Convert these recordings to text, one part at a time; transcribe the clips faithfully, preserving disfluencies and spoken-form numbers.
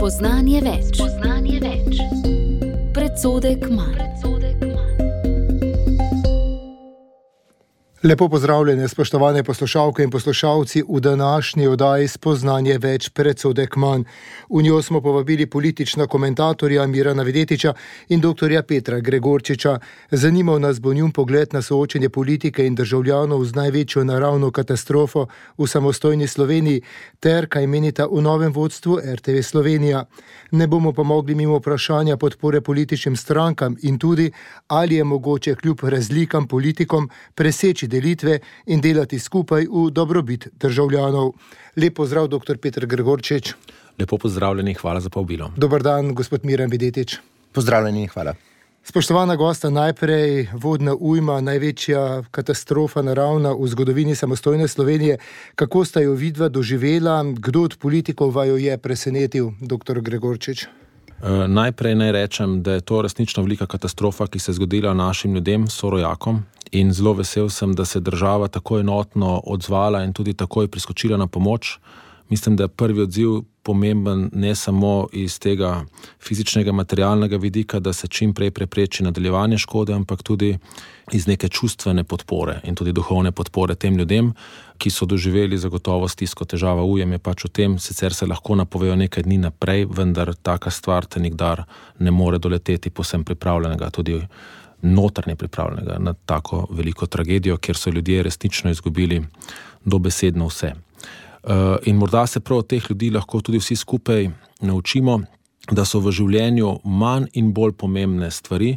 Spoznanje več. Spoznanje več. Predsodek manj. Lepo pozdravljene, spoštovane poslušalke in poslušalci v današnji oddaji Spoznanje več, predsodek manj. V njo smo povabili politična komentatorja Mirana Videtiča in doktorja Petra Gregorčiča. Zanimal nas bo njun pogled na soočenje politike in državljanov z največjo naravno katastrofo v samostojni Sloveniji ter kaj menita v novem vodstvu er te ve Slovenija. Ne bomo pa mogli mimo vprašanja podpore političnim strankam in tudi, ali je mogoče kljub razlikam politikom preseči delitve in delati skupaj v dobrobit državljanov. Lep pozdrav, doktor Peter Gregorčič. Lepo pozdravljeni, hvala za povabilo. Dober dan, gospod Miran Videtič. Pozdravljeni, hvala. Spoštovana gosta, najprej vodna ujma, največja katastrofa naravna v zgodovini samostojne Slovenije. Kako sta jo vidva doživela? Kdo od politikov vaju je presenetil, doktor Gregorčič? Uh, najprej naj rečem, da je to resnično velika katastrofa, ki se je zgodila našim ljudem, sorojakom, in zelo vesel sem, da se je država tako enotno odzvala in tudi takoj priskočila na pomoč. Mislim, da je prvi odziv pomemben ne samo iz tega fizičnega, materialnega vidika, da se čim prej prepreči nadaljevanje škode, ampak tudi iz neke čustvene podpore in tudi duhovne podpore tem ljudem, ki so doživeli zagotovo stisko. Težava ujem je pač v tem, sicer se lahko napovejo nekaj dni naprej, vendar taka stvar te nikdar ne more doleteti povsem pripravljenega, tudi notranje pripravljenega na tako veliko tragedijo, kjer so ljudje resnično izgubili dobesedno vse. In morda se prav od teh ljudi lahko tudi vsi skupaj naučimo, da so v življenju manj in bolj pomembne stvari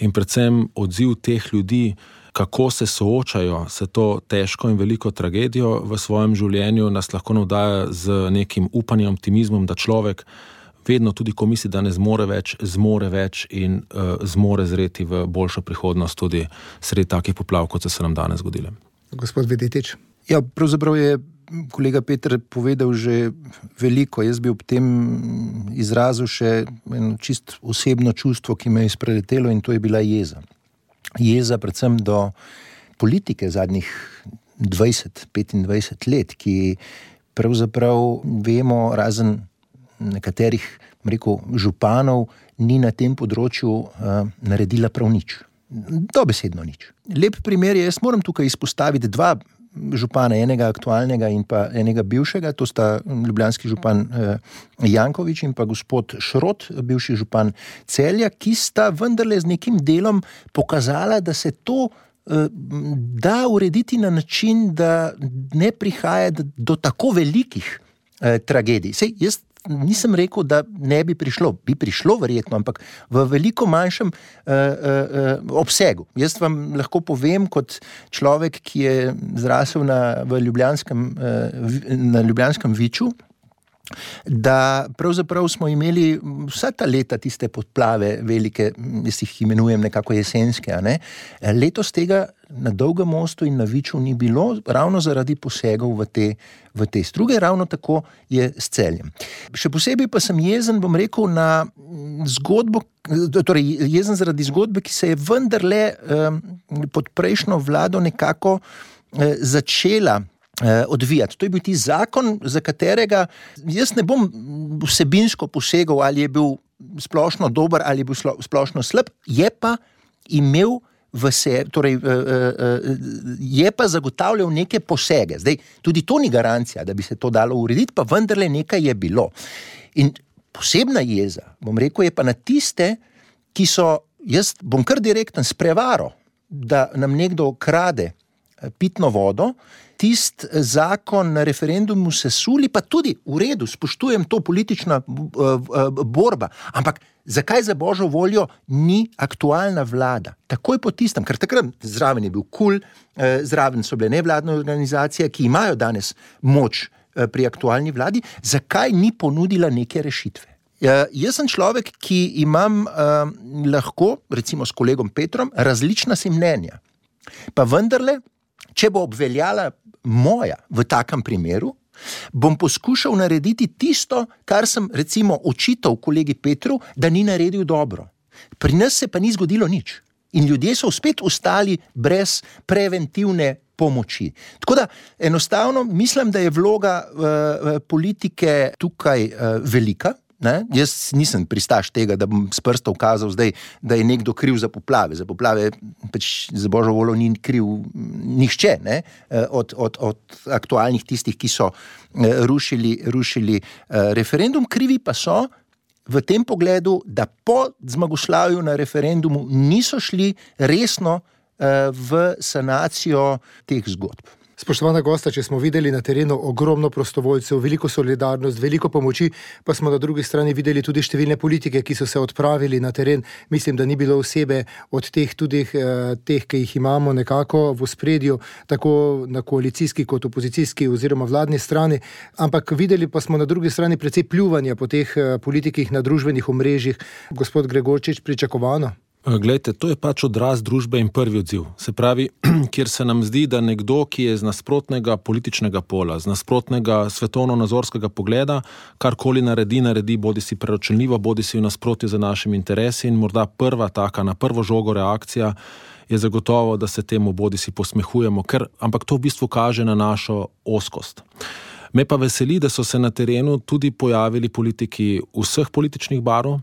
in predvsem odziv teh ljudi, kako se soočajo s to težko in veliko tragedijo v svojem življenju, nas lahko navdaja z nekim upanjem, optimizmom, da človek vedno tudi, ko misli, da ne zmore več, zmore več in uh, zmore zreti v boljšo prihodnost tudi sredi takih poplav, kot so se nam danes zgodile. Gospod Videtič. Ja, pravzaprav je kolega Peter povedal že veliko. Jaz bi ob tem izrazil še eno čist osebno čustvo, ki me je izpreletelo, in to je bila jeza. Jeza predvsem do politike zadnjih dvajset, petindvajset let, ki pravzaprav vemo, razen nekaterih, rekel, županov, ni na tem področju uh, naredila prav nič. Dobesedno nič. Lep primer je, jaz moram tukaj izpostaviti dva župana, enega aktualnega in pa enega bivšega, to sta ljubljanski župan uh, Janković in pa gospod Šrot, bivši župan Celja, ki sta vendarle z nekim delom pokazala, da se to uh, da urediti na način, da ne prihaja do tako velikih uh, tragedij. Sej, jaz nisem rekel, da ne bi prišlo. Bi prišlo verjetno, ampak v veliko manjšem uh, uh, obsegu. Jaz vam lahko povem kot človek, ki je zrasel na, v Ljubljanskem, uh, na Ljubljanskem Viču, da pravzaprav smo imeli vsa ta leta tiste podplave velike, jaz jih imenujem nekako jesenske, a ne? Letos tega na Dolgem mostu in na Viču ni bilo, ravno zaradi posegov v te, v te struge, ravno tako je s Celjem. Še posebej pa sem jezen, bom rekel, na zgodbo, torej jezen zaradi zgodbe, ki se je vendarle um, pod prejšnjo vlado nekako uh, začela odvijati. To je bil ti zakon, za katerega jaz ne bom vsebinsko posegal, ali je bil splošno dober ali je bil splošno slab, je pa imel v se, torej je pa zagotavljal neke posege. Zdaj, tudi to ni garancija, da bi se to dalo urediti, pa vendarle nekaj je bilo. In posebna jeza, bom rekel, je pa na tiste, ki so, jaz bom kar direkten, s prevaro, da nam nekdo krade pitno vodo, tist zakon na referendumu sesuli, pa tudi v redu, spoštujem to, politična borba, ampak zakaj za božjo voljo ni aktualna vlada? Takoj po tistem, ker takrat zraven je bil KUL, zraven so bile nevladne organizacije, ki imajo danes moč pri aktualni vladi, zakaj ni ponudila neke rešitve? Ja, jaz sem človek, ki imam uh, lahko, recimo s kolegom Petrom, različna si mnenja. Pa vendarle, če bo obveljala moja v takem primeru, bom poskušal narediti tisto, kar sem recimo očital kolegi Petru, da ni naredil dobro. Pri nas se pa ni zgodilo nič. In ljudje so spet ostali brez preventivne pomoči. Tako da enostavno mislim, da je vloga uh, politike tukaj uh, velika. Ne? Jaz nisem pristaš tega, da bom s prstom ukazal zdaj, da je nekdo kriv za poplave. Za poplave pač za božjo voljo ni kriv nihče, ne? Od, od, od aktualnih tistih, ki so rušili, rušili referendum. Krivi pa so v tem pogledu, da po zmagoslavju na referendumu niso šli resno v sanacijo teh zgodb. Spoštovana gosta, če smo videli na terenu ogromno prostovoljcev, veliko solidarnost, veliko pomoči, pa smo na drugi strani videli tudi številne politike, ki so se odpravili na teren. Mislim, da ni bilo osebe od teh tudi teh, ki jih imamo nekako v ospredju, tako na koalicijski kot opozicijski oziroma vladni strani, ampak videli pa smo na drugi strani precej pljuvanja po teh politikih na družbenih omrežjih. Gospod Gregorčič, pričakovano? Glejte, to je pač odraz družbe in prvi odziv. Se pravi, kjer se nam zdi, da nekdo, ki je z nasprotnega političnega pola, z nasprotnega svetovno-nazorskega pogleda, karkoli naredi, naredi bodi si preročenljivo, bodi si v nasprotju za našimi interesi in morda prva taka, na prvo žogo reakcija je zagotovo, da se temu bodi si posmehujemo, ker, ampak to v bistvu kaže na našo ozkost. Me pa veseli, da so se na terenu tudi pojavili politiki vseh političnih barv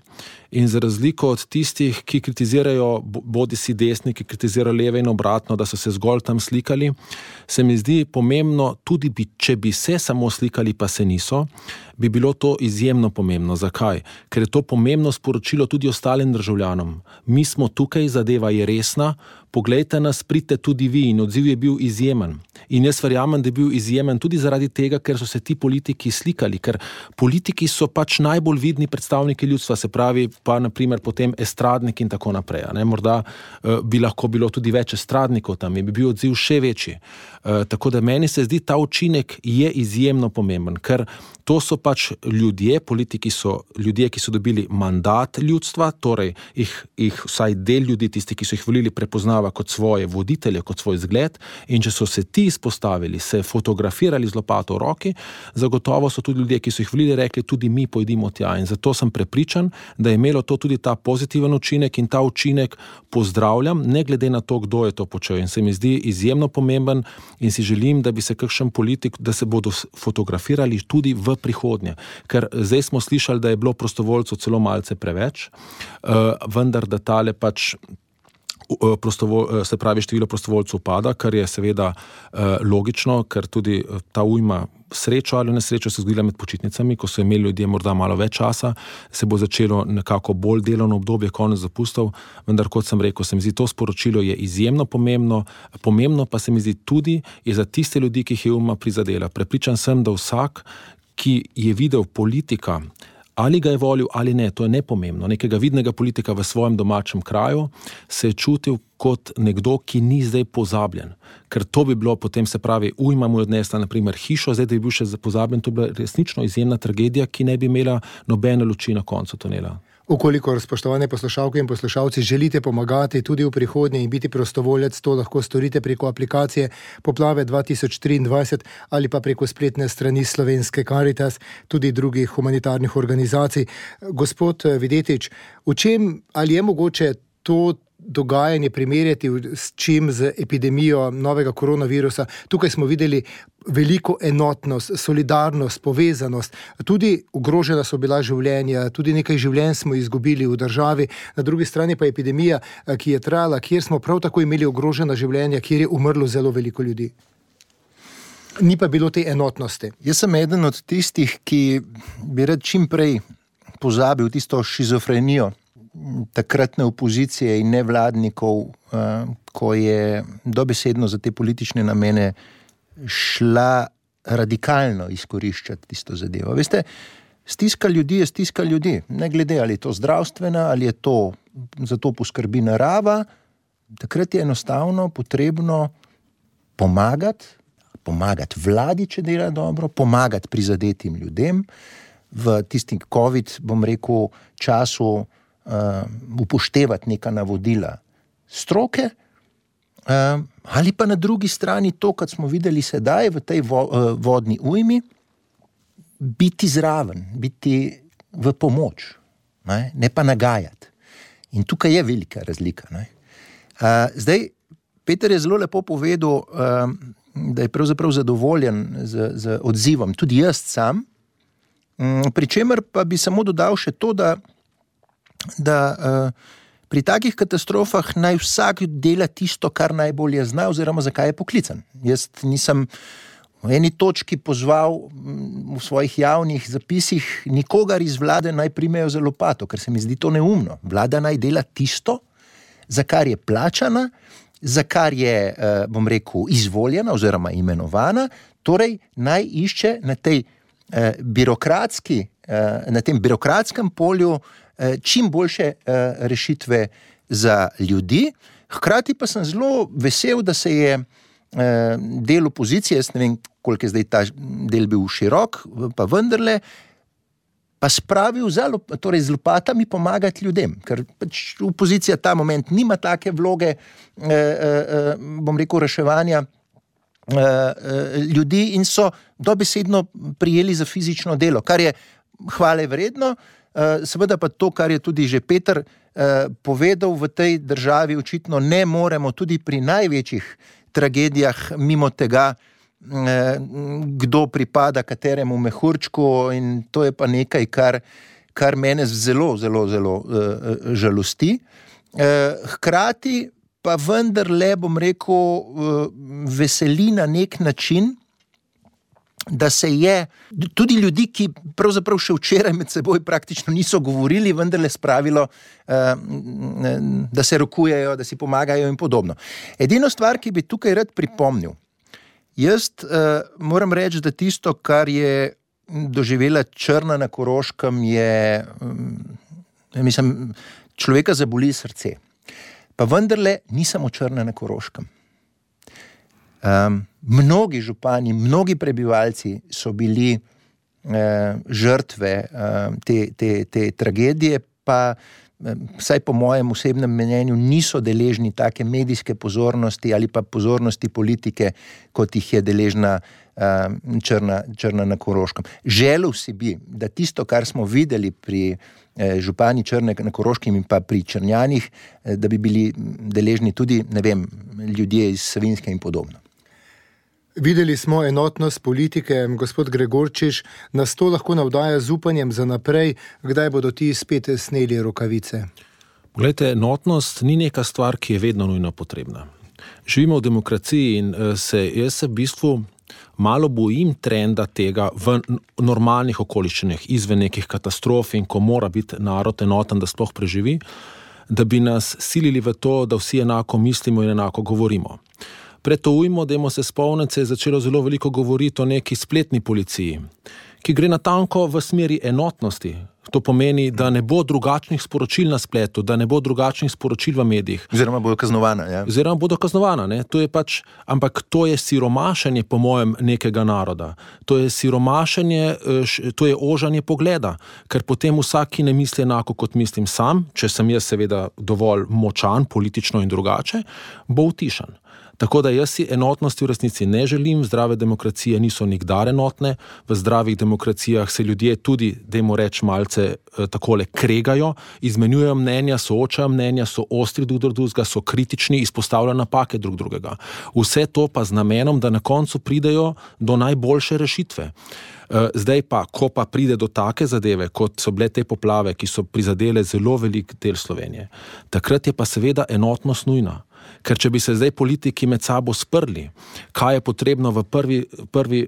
in za razliko od tistih, ki kritizirajo bodi si desni, ki kritizirajo leve in obratno, da so se zgolj tam slikali, se mi zdi pomembno, tudi bi, če bi se samo slikali, pa se niso, bi bilo to izjemno pomembno. Zakaj? Ker je to pomembno sporočilo tudi ostalim državljanom. Mi smo tukaj, zadeva je resna, poglejte nas, pridite tudi vi in odziv je bil izjemen. In jaz verjamem, da je bil izjemen tudi zaradi tega, ker so se ti politiki slikali, ker politiki so pač najbolj vidni predstavniki ljudstva, se pravi pa na primer potem estradniki in tako naprej. Ne? Morda uh, bi lahko bilo tudi več estradnikov tam in bi bil odziv še večji. Uh, tako da meni se zdi, ta učinek je izjemno pomemben, ker to so pač ljudje, politiki so ljudje, ki so dobili mandat ljudstva, torej jih, jih vsaj del ljudi, tisti, ki so jih volili, prepoznava kot svoje voditelje, kot svoj zgled, in če so se ti izpostavili, se fotografirali z lopato v roki, zagotovo so tudi ljudje, ki so jih volili, rekli, tudi mi pojdimo tja. In zato sem prepričan, da je imelo to tudi ta pozitiven učinek in ta učinek pozdravljam, ne glede na to, kdo je to počel. In se mi zdi izjemno pomemben in si želim, da bi se kakšen politik, da se bodo fotografirali tudi v prihodnje. Ker zdaj smo slišali, da je bilo prostovoljcev celo malce preveč, vendar da tale pač Prostovo, se pravi, število prostovoljcev pada, kar je seveda eh, logično, ker tudi ta ujma srečo ali nesrečo se zgodila med počitnicami, ko so imeli ljudje morda malo več časa, se bo začelo nekako bolj delovno obdobje, konec zapustov, vendar kot sem rekel, se mi zdi to sporočilo je izjemno pomembno, pomembno pa se mi zdi tudi je za tiste ljudi, ki jih je ujma prizadela. Prepričan sem, da vsak, ki je videl politika, ali ga je volil ali ne, to je nepomembno. Nekega vidnega politika v svojem domačem kraju se je čutil kot nekdo, ki ni zdaj pozabljen. Ker to bi bilo potem, se pravi, ujma mu je odnesla na primer hišo, zdaj da je bil še pozabljen, to bi bila resnično izjemna tragedija, ki ne bi imela nobene luči na koncu tunela. Ukolikor, spoštovane poslušalke in poslušalci, želite pomagati tudi v prihodnje in biti prostovoljec, to lahko storite preko aplikacije Poplave dva tisoč triindvajset ali pa preko spletne strani Slovenske Karitas, tudi drugih humanitarnih organizacij. Gospod Videtič, v čem ali je mogoče to dogajanje primerjati s čim z epidemijo novega koronavirusa? Tukaj smo videli veliko enotnost, solidarnost, povezanost, tudi ogrožena so bila življenja, tudi nekaj življenj smo izgubili v državi, na drugi strani pa epidemija, ki je trajala, kjer smo prav tako imeli ogrožena življenja, kjer je umrlo zelo veliko ljudi. Ni pa bilo te enotnosti. Jaz sem eden od tistih, ki bi rad čim prej pozabil tisto šizofrenijo takratne opozicije in nevladnikov, ko je dobesedno za te politične namene šla radikalno izkoriščati tisto zadevo. Veste, stiska ljudi je stiska ljudi, ne glede ali je to zdravstvena, ali je to, za to poskrbi narava, takrat je enostavno potrebno pomagati, pomagati vladi, če dela dobro, pomagati prizadetim ljudem v tistim COVID, bom rekel, času Uh, upoštevati neka navodila stroke, uh, ali pa na drugi strani to, kad smo videli sedaj v tej vo, uh, vodni ujmi, biti zraven, biti v pomoč, ne, ne pa nagajati. In tukaj je velika razlika. Ne. Uh, zdaj, Peter je zelo lepo povedal, uh, da je pravzaprav zadovoljen z, z odzivom, tudi jaz sam, Pričemer pa bi samo dodal še to, da, da pri takih katastrofah naj vsak dela tisto, kar najbolje zna oziroma zakaj je poklican. Jaz nisem v eni točki pozval v svojih javnih zapisih nikogar iz vlade naj primejo za lopato, ker se mi zdi to neumno. Vlada naj dela tisto, za kar je plačana, za kar je, bom rekel, izvoljena oziroma imenovana, torej naj išče na tej birokratski, na tem birokratskem polju čim boljše rešitve za ljudi. Hkrati pa sem zelo vesel, da se je del opozicije, jaz ne vem, koliko je zdaj ta del bil širok, pa vendarle, pa spravil za, torej z lopatami pomagati ljudem, ker pač opozicija ta moment nima take vloge, bom rekel, reševanja ljudi in so dobesedno prijeli za fizično delo, kar je hvale vredno, seveda pa to, kar je tudi že Peter povedal, v tej državi očitno ne moremo tudi pri največjih tragedijah mimo tega, kdo pripada kateremu mehurčku, in to je pa nekaj, kar, kar mene zelo, zelo, zelo žalosti. Hkrati pa vendarle, bom rekel, veseli na nek način, da se je tudi ljudi, ki pravzaprav še včeraj med seboj praktično niso govorili, vendarle spravilo, da se rokujejo, da si pomagajo in podobno. Edino stvar, ki bi tukaj rad pripomnil, jaz moram reči, da tisto, kar je doživela Črna na Koroškem, je, mislim, človeka zaboli srce. Pa vendarle ni samo Črna na Koroškem. Um, mnogi župani, mnogi prebivalci so bili uh, žrtve uh, te, te, te tragedije, pa vsaj po mojem osebnem mnenju niso deležni take medijske pozornosti ali pa pozornosti politike, kot jih je deležna uh, Črna, Črna na Koroškem. Želel si bi, da tisto, kar smo videli pri eh, župani Črne na Koroškem in pa pri Črnjanih, eh, da bi bili deležni tudi, ne vem, ljudje iz Savinjske in podobno. Videli smo enotnost politike, gospod Gregorčič, nas to lahko navdaja z upanjem za naprej, kdaj bodo ti spet sneli rokavice? Glejte, enotnost ni neka stvar, ki je vedno nujno potrebna. Živimo v demokraciji in se, jaz se v bistvu malo bojim trenda tega v normalnih okoliščinah, izven nekih katastrof in ko mora biti narod enoten, da sploh preživi, da bi nas silili v to, da vsi enako mislimo in enako govorimo. Pred to ujmo, dajmo se spomniti, se je začelo zelo veliko govoriti o neki spletni policiji, ki gre natanko v smeri enotnosti. To pomeni, da ne bo drugačnih sporočil na spletu, da ne bo drugačnih sporočil v medijih. Oziroma bodo kaznovana, ja. Oziroma bodo kaznovana, ne. To je pač, ampak to je siromašenje, po mojem, nekega naroda. To je siromašenje, to je ožanje pogleda, ker potem vsak, ki ne misli enako, kot mislim sam, če sem jaz seveda dovolj močan, politično in drugače, bo utišan. Tako da jaz si enotnosti v resnici ne želim, zdrave demokracije niso nikdar enotne, v zdravih demokracijah se ljudje tudi, dajmo reči, malce eh, takole kregajo, izmenjujejo mnenja, soočajo mnenja, so ostri drug do drugega, so kritični, izpostavljajo napake drug drugega. Vse to pa z namenom, da na koncu pridejo do najboljše rešitve. Zdaj pa, ko pa pride do take zadeve, kot so bile te poplave, ki so prizadele zelo velik del Slovenije, takrat je pa seveda enotnost nujna. Ker če bi se zdaj politiki med sabo sprli, kaj je potrebno v, prvi, prvi,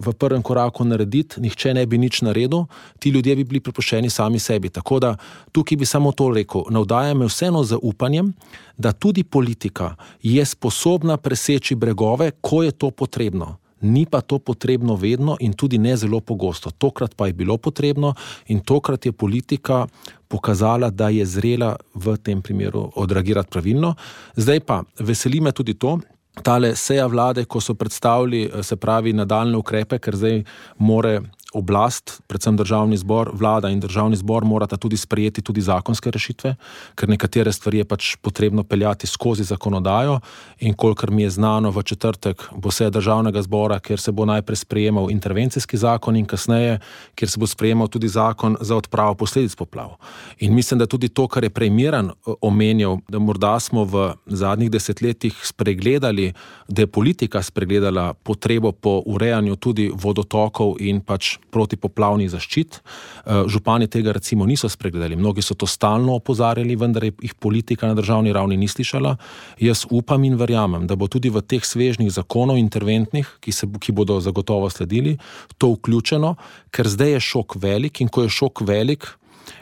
v prvem koraku narediti, nihče ne bi nič naredil, ti ljudje bi bili prepuščeni sami sebi. Tako da tukaj bi samo to rekel, navdaja me vseeno z upanjem, da tudi politika je sposobna preseči bregove, ko je to potrebno. Ni pa to potrebno vedno in tudi ne zelo pogosto. Tokrat pa je bilo potrebno in tokrat je politika pokazala, da je zrela v tem primeru odreagirati pravilno. Zdaj pa, veseli me tudi to, tale seja vlade, ko so predstavili, se pravi, nadaljne ukrepe, ker zdaj more oblast, predvsem državni zbor, vlada in državni zbor morata tudi sprejeti tudi zakonske rešitve, ker nekatere stvari je pač potrebno peljati skozi zakonodajo in kolikor mi je znano, v četrtek bo seja državnega zbora, kjer se bo najprej sprejemal intervencijski zakon in kasneje, kjer se bo sprejemal tudi zakon za odpravo posledic poplav. In mislim, da tudi to, kar je prej Miran omenjal, da morda smo v zadnjih desetletjih spregledali, da je politika spregledala potrebo po urejanju tudi vodotokov in pač protipoplavnih zaščit. Župani tega recimo niso spregledali. Mnogi so to stalno opozarjali, vendar jih politika na državni ravni ni slišala. Jaz upam in verjamem, da bo tudi v teh svežnih zakonov interventnih, ki, se, ki bodo zagotovo sledili, to vključeno, ker zdaj je šok velik in ko je šok velik,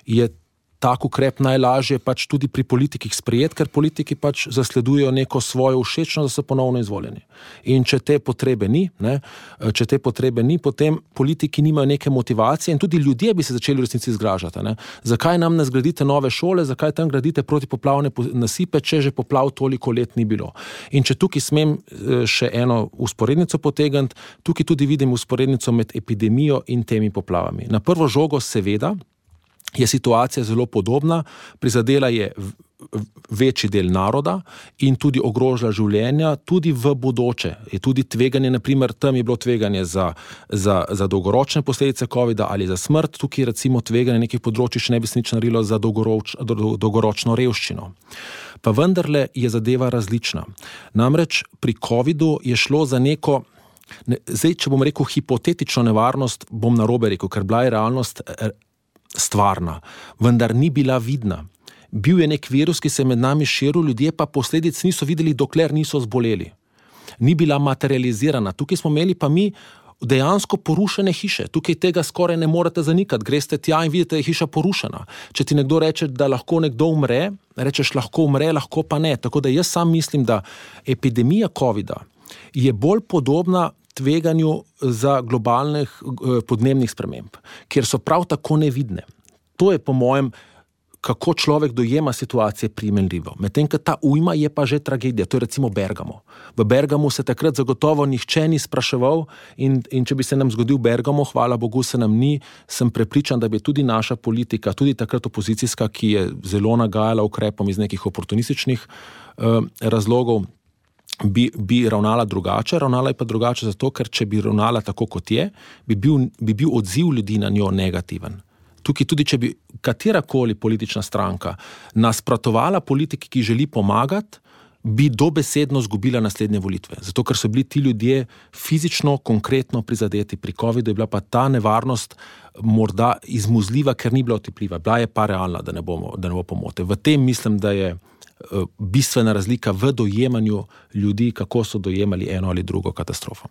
je tak ukrep najlažje pač tudi pri politikih sprejet, ker politiki pač zasledujejo neko svojo všečnost, da so ponovno izvoljeni. In če te potrebe ni, ne, če te potrebe ni, potem politiki nimajo neke motivacije in tudi ljudje bi se začeli v resnici zgražati. Ne. Zakaj nam ne zgradite nove šole, zakaj tam gradite protipoplavne nasipe, če že poplav toliko let ni bilo. In če tukaj smem še eno usporednico potegniti, tukaj tudi vidim usporednico med epidemijo in temi poplavami. Na prvo žogo seveda je situacija zelo podobna, prizadela je večji del naroda in tudi ogrožila življenja, tudi v bodoče. Je tudi tveganje, naprimer, tam je bilo tveganje za, za, za dolgoročne posledice covida ali za smrt, tukaj recimo tveganje nekih področij še ne bi se nič naredilo za dolgoroč, dolgoročno revščino. Pa vendarle je zadeva različna. Namreč pri covidu je šlo za neko, ne, zdaj, če bom rekel hipotetično nevarnost, bom narobe rekel, ker bila je realnost stvarna, vendar ni bila vidna. Bil je nek virus, ki se je med nami širil, ljudje pa posledic niso videli, dokler niso zboleli. Ni bila materializirana. Tukaj smo imeli pa mi dejansko porušene hiše. Tukaj tega skoraj ne morete zanikati. Greste tja in vidite, da je hiša porušena. Če ti nekdo reče, da lahko nekdo umre, rečeš lahko umre, lahko pa ne. Tako da jaz sam mislim, da epidemija covida je bolj podobna tveganju za globalnih podnebnih sprememb, kjer so prav tako nevidne. To je po mojem, kako človek dojema situacije primerljivo. Medtem, ker ta ujma je pa že tragedija. To je recimo Bergamo. V Bergamu se takrat zagotovo nihče ni spraševal in, in če bi se nam zgodil Bergamo, hvala Bogu se nam ni, sem prepričan, da bi tudi naša politika, tudi takrat opozicijska, ki je zelo nagajala ukrepom iz nekih oportunističnih uh, razlogov, Bi, bi ravnala drugače, ravnala je pa drugače zato, ker če bi ravnala tako kot je, bi bil, bi bil odziv ljudi na njo negativen. Tukaj tudi, če bi katerakoli politična stranka nasprotovala politiki, ki želi pomagati, bi dobesedno zgubila naslednje volitve. Zato, ker so bili ti ljudje fizično, konkretno prizadeti pri covidu, je bila pa ta nevarnost morda izmuzljiva, ker ni bila otipljiva. Bila je pa realna, da ne bomo, da ne bo pomote. V tem mislim, da je bistvena razlika v dojemanju ljudi, kako so dojemali eno ali drugo katastrofo.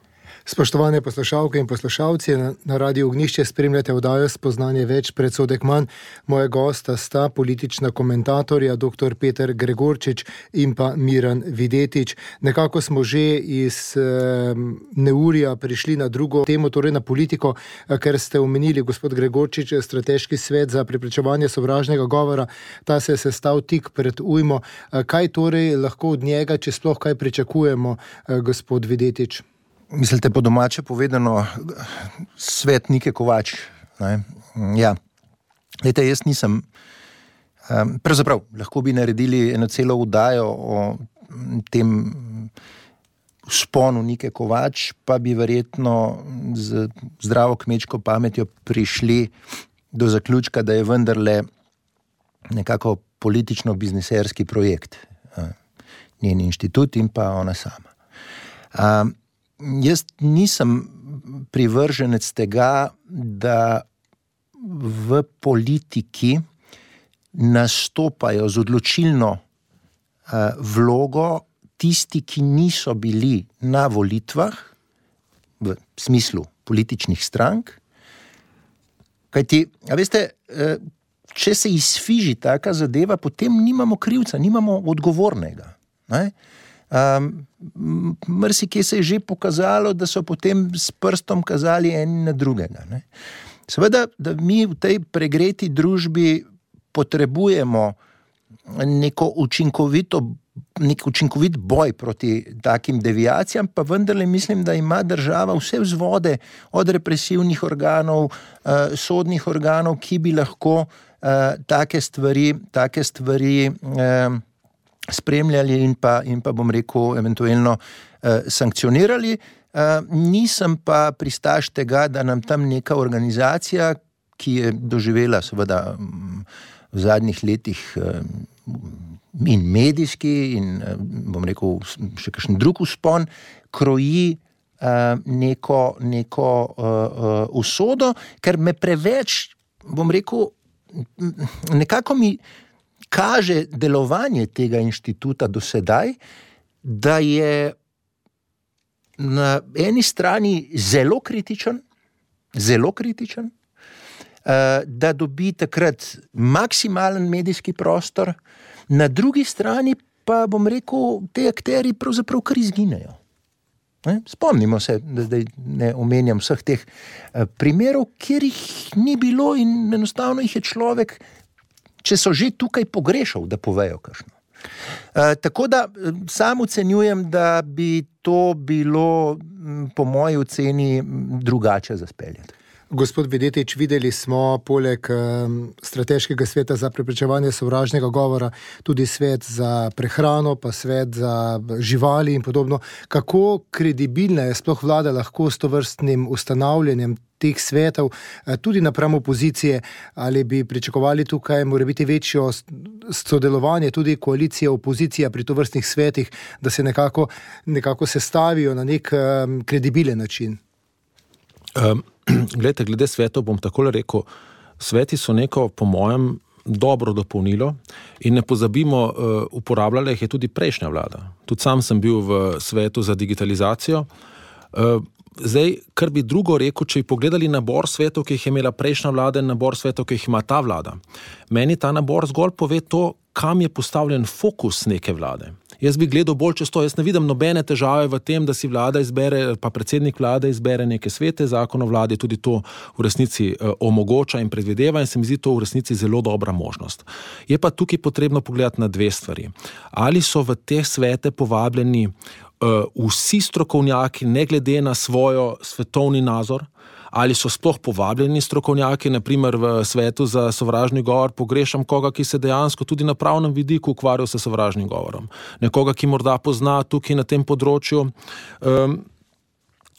Spoštovane poslušalke in poslušalci, na, na Radiu Ognjišče spremljate oddajo Spoznanje več, predsodek manj. Moje gosta sta politična komentatorja dr. Peter Gregorčič in pa Miran Videtič. Nekako smo že iz e, neurja prišli na drugo temo, torej na politiko, ker ste omenili, gospod Gregorčič, strateški svet za preprečevanje sovražnega govora. Ta se je sestal tik pred ujmo. Kaj torej lahko od njega, če sploh kaj pričakujemo, gospod Videtič? Mislite po domače povedano, svet Nike Kovač. Ne? Ja, Lejte, jaz nisem, um, pravzaprav, lahko bi naredili eno celo oddajo o tem vzponu Nike Kovač, pa bi verjetno z zdravo kmečko pametjo prišli do zaključka, da je vendarle nekako politično-bizniserski projekt. Uh, njen inštitut in pa ona sama. Um, Jaz nisem privrženec tega, da v politiki nastopajo z odločilno uh, vlogo tisti, ki niso bili na volitvah, v smislu političnih strank. Kajti, a veste, uh, če se izfiži taka zadeva, potem nimamo krivca, nimamo odgovornega. Ne? Um, Mrsikje se je že pokazalo, da so potem s prstom kazali eni na drugega. Ne? Seveda, da mi v tej pregreti družbi potrebujemo neko učinkovito, nek učinkovit boj proti takim deviacijam, pa vendarle mislim, da ima država vse vzvode od represivnih organov, uh, sodnih organov, ki bi lahko uh, take stvari, take stvari uh, spremljali in pa, in pa bom rekel, eventualno eh, sankcionirali. Eh, nisem pa pristaš tega, da nam tam neka organizacija, ki je doživela seveda v zadnjih letih eh, in medijski in eh, bom rekel še kakšen drug vzpon, kroji neko, neko uh, usodo, ker me preveč, bom rekel, nekako mi kaže delovanje tega inštituta do sedaj, da je na eni strani zelo kritičen, zelo kritičen, uh, da dobi takrat maksimalen medijski prostor, na drugi strani pa, bom rekel, te akterji pravzaprav kar izginejo. Ne? Spomnimo se, da zdaj ne omenjam vseh teh primerov, kjer jih ni bilo in enostavno jih je človek, če so že tukaj, pogrešal, da povejo kakšno. E, tako da sam ocenjujem, da bi to bilo po moji oceni drugače zaspeljati. Gospod Videtič, videli smo poleg um, strateškega sveta za preprečevanje sovražnega govora tudi svet za prehrano, pa svet za živali in podobno. Kako kredibilna je sploh vlada lahko s tovrstnim ustanavljanjem teh svetov, tudi napram opozicije, ali bi pričakovali tukaj morebiti večjo sodelovanje, tudi koalicija, opozicija pri tovrstnih svetih, da se nekako, nekako sestavijo na nek um, kredibilen način? Um. Glede, glede svetov bom takole rekel, sveti so neko, po mojem, dobro dopolnilo in ne pozabimo, uh, uporabljala jih je tudi prejšnja vlada. Tudi sam sem bil v svetu za digitalizacijo. Uh, zdaj, kar bi drugo rekel, če bi pogledali nabor svetov, ki jih je imela prejšnja vlada in nabor svetov, ki jih ima ta vlada. Meni ta nabor zgolj pove to, kam je postavljen fokus neke vlade. Jaz bi gledal bolj čez to, jaz ne vidim nobene težave v tem, da si vlada izbere, pa predsednik vlade izbere neke svete, zakon o vladi tudi to v resnici eh, omogoča in predvideva in se mi zdi to v resnici zelo dobra možnost. Je pa tukaj potrebno pogledati na dve stvari. Ali so v te svete povabljeni uh, vsi strokovnjaki, ne glede na svojo svetovni nazor, ali so sploh povabljeni strokovnjaki, naprimer v svetu za sovražni govor, pogrešam koga, ki se dejansko tudi na pravnem vidiku ukvarja s sovražnim govorom. Nekoga, ki morda pozna tukaj na tem področju um,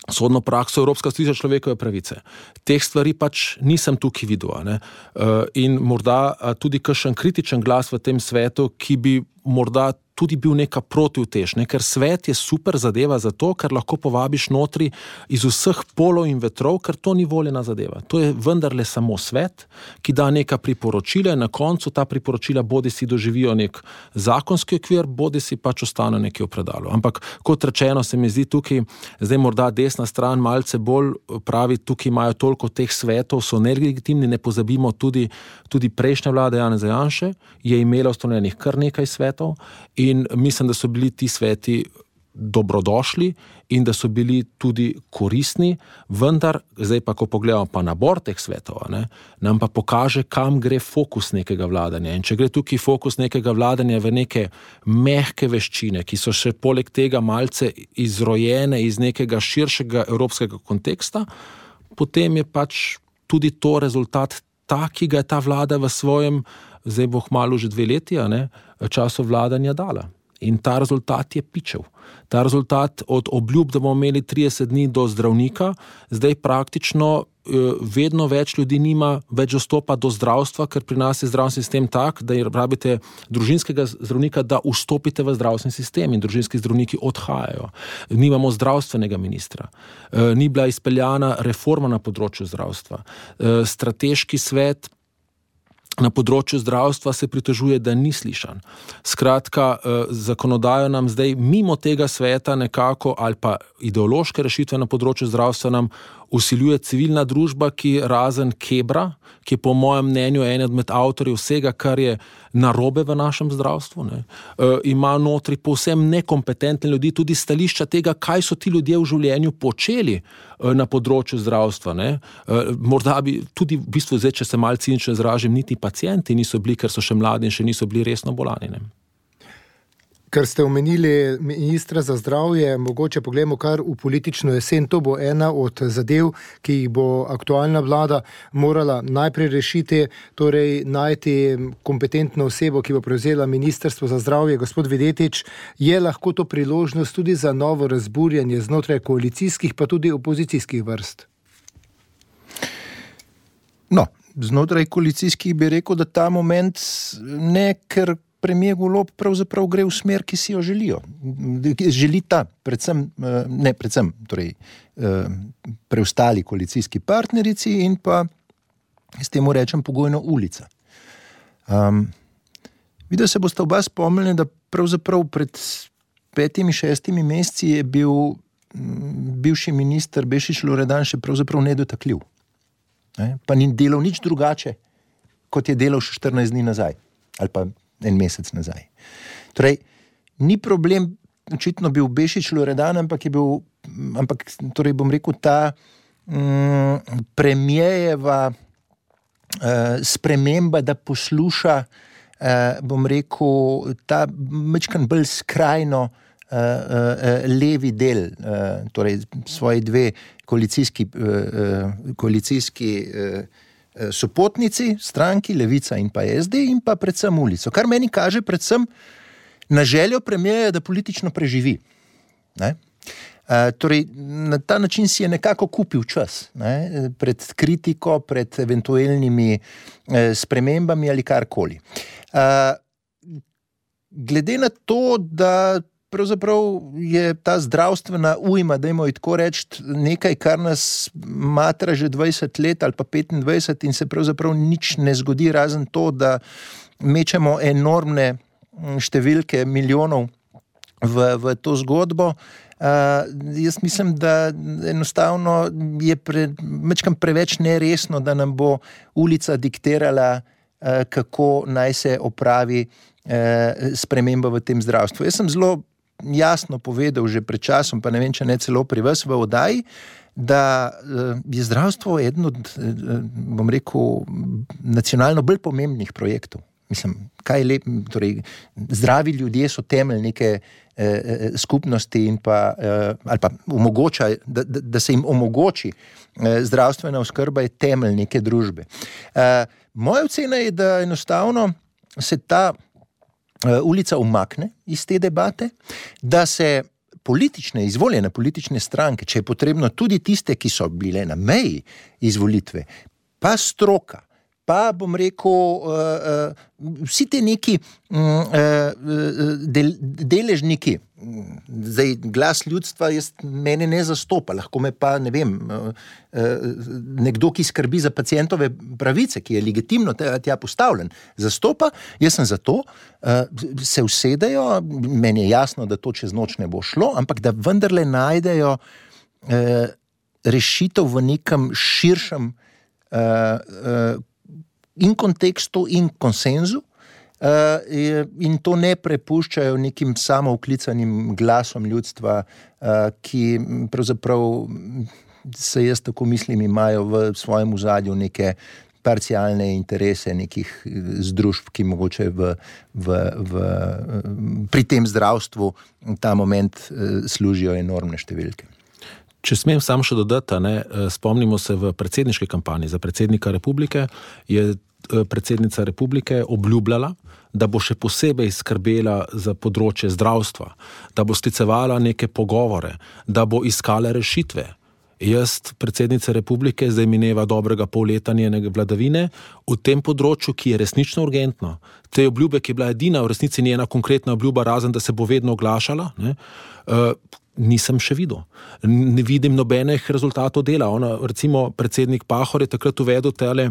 sodno prakso Evropska sodišča človekove pravice. Teh stvari pač nisem tukaj videl. Ne? Uh, in morda tudi kakšen kritičen glas v tem svetu, ki bi morda tudi bil neka protiutež, ne? Ker svet je super zadeva zato, ker lahko povabiš notri iz vseh polov in vetrov, ker to ni voljena zadeva. To je vendarle samo svet, ki da neka priporočila in na koncu ta priporočila bodi si doživijo nek zakonski okvir, bodi si pač ostane nekje v predalu. Ampak kot rečeno, se mi zdi tukaj, zdaj morda desna stran malce bolj pravi, tukaj imajo toliko teh svetov, so nelegitimni, ne pozabimo tudi, tudi prejšnja vlada Janeza Janše je imela ustanovljenih kar nekaj svetov in mislim, da so bili ti sveti dobrodošli in da so bili tudi koristni, vendar, zdaj pa, ko pogledamo pa nabor teh svetov, ne, nam pa pokaže, kam gre fokus nekega vladanja. In če gre tukaj fokus nekega vladanja v neke mehke veščine, ki so še poleg tega malce izrojene iz nekega širšega evropskega konteksta, potem je pač tudi to rezultat ta, ki ga je ta vlada v svojem, zdaj bo kmalu že dve leti, ne, času vladanja dala. In ta rezultat je pičev. Ta rezultat od obljub, da bomo imeli trideset dni do zdravnika, zdaj praktično vedno več ljudi nima več dostopa do zdravstva, ker pri nas je zdravstveni sistem tak, da rabite družinskega zdravnika, da vstopite v zdravstveni sistem in družinski zdravniki odhajajo. Nimamo zdravstvenega ministra. Ni bila izpeljana reforma na področju zdravstva. Strateški svet na področju zdravstva se pritožuje, da ni slišan. Skratka, zakonodajo nam zdaj mimo tega sveta nekako ali pa ideološke rešitve na področju zdravstva nam usiljuje civilna družba, ki razen Kebra, ki je po mojem mnenju eden med avtorjev vsega, kar je narobe v našem zdravstvu, ne, ima notri povsem nekompetentne ljudi, tudi stališča tega, kaj so ti ljudje v življenju počeli na področju zdravstva. Ne. Morda bi tudi v bistvu zdaj, če se malce cinično izražim, niti pacienti niso bili, ker so še mladi in še niso bili resno bolani. Ne. Ker ste omenili ministra za zdravje, mogoče pogledamo kar v politično jesen. To bo ena od zadev, ki jih bo aktualna vlada morala najprej rešiti, torej najti kompetentno osebo, ki bo prevzela ministrstvo za zdravje. Gospod Videtič, je lahko to priložnost tudi za novo razburjanje znotraj koalicijskih, pa tudi opozicijskih vrst? No, znotraj koalicijskih bi rekel, da ta moment ne, ker premijer Golob pravzaprav gre v smer, ki si jo želijo. Želita predvsem, ne predvsem, torej preostali koalicijski partnerici in pa, s temu rečem, pogojno Ulica. Um, videl se boste oba spomnili, da pravzaprav pred petimi, šestimi meseci je bil bivši minister Bešič Loredan še pravzaprav nedotakljiv. Ne? Pa ni delal nič drugače, kot je delal še štirinajst dni nazaj, ali pa en mesec nazaj. Torej, ni problem, očitno bil Bešič Loredan, ampak je bil, ampak, torej bom rekel, ta um, premijejeva uh, sprememba, da posluša, uh, bom rekel, ta mečkan bolj skrajno uh, uh, levi del, uh, torej svoji dve koalicijski, uh, koalicijski uh, sopotnici, stranki, Levica in pa S D in pa predvsem Ulico. Kar meni kaže predvsem na željo premijeja, da politično preživi. Ne? Uh, torej, na ta način si je nekako kupil čas, ne? Pred kritiko, pred eventualnimi eh, spremembami ali karkoli. Uh, glede na to, da pravzaprav je ta zdravstvena ujma, dajmo ji tako reči, nekaj, kar nas matra že dvajset let ali pa petindvajset in se pravzaprav nič ne zgodi, razen to, da mečemo enormne številke milijonov v, v to zgodbo. Uh, jaz mislim, da enostavno je pre, mečkam preveč neresno, da nam bo Ulica diktirala, uh, kako naj se opravi uh, sprememba v tem zdravstvu. Jaz sem zelo jasno povedal že pred časom, pa ne vem, če ne celo pri vas v oddaji, da je zdravstvo eden od, bom rekel, nacionalno bolj pomembnih projektov. Mislim, kaj je lep, torej, zdravi ljudje so temelj neke eh, skupnosti in pa, eh, ali pa omogoča, da, da, da se jim omogoči eh, zdravstvena oskrba je temelj neke družbe. Eh, moja ocena je, da enostavno se ta Ulica umakne iz te debate, da se politične, izvoljene politične stranke, če je potrebno tudi tiste, ki so bile na meji izvolitve, pa stroka, pa bom rekel, uh, uh, vsi te neki uh, del, deležniki, zdaj glas ljudstva jaz, mene ne zastopa, lahko me pa, ne vem, uh, uh, nekdo, ki skrbi za pacientove pravice, ki je legitimno tja postavljen, zastopa, jaz sem za to, uh, se usedejo, meni je jasno, da to čez noč ne bo šlo, ampak da vendarle najdejo uh, rešitev v nekem širšem uh, uh, in kontekstu in konsenzu uh, in to ne prepuščajo nekim samouklicanim glasom ljudstva, uh, ki pravzaprav se jaz tako mislim imajo v svojem ozadju neke parcialne interese nekih združb, ki mogoče v, v, v, pri tem zdravstvu ta moment uh, služijo enormne številke. Če smem sam še dodati, ne, spomnimo se v predsedniški kampanji za predsednika republike, je predsednica republike obljubljala, da bo še posebej skrbela za področje zdravstva, da bo sklicevala neke pogovore, da bo iskala rešitve. Jaz, predsednica republike, zdaj mineva dobrega pol leta njene vladavine v tem področju, ki je resnično urgentno. Te obljube, ki je bila edina v resnici njena konkretna obljuba, razen da se bo vedno oglašala, ne, uh, nisem še videl. Ne vidim nobenih rezultatov dela. Ona, recimo, predsednik Pahor je takrat uvedel tele,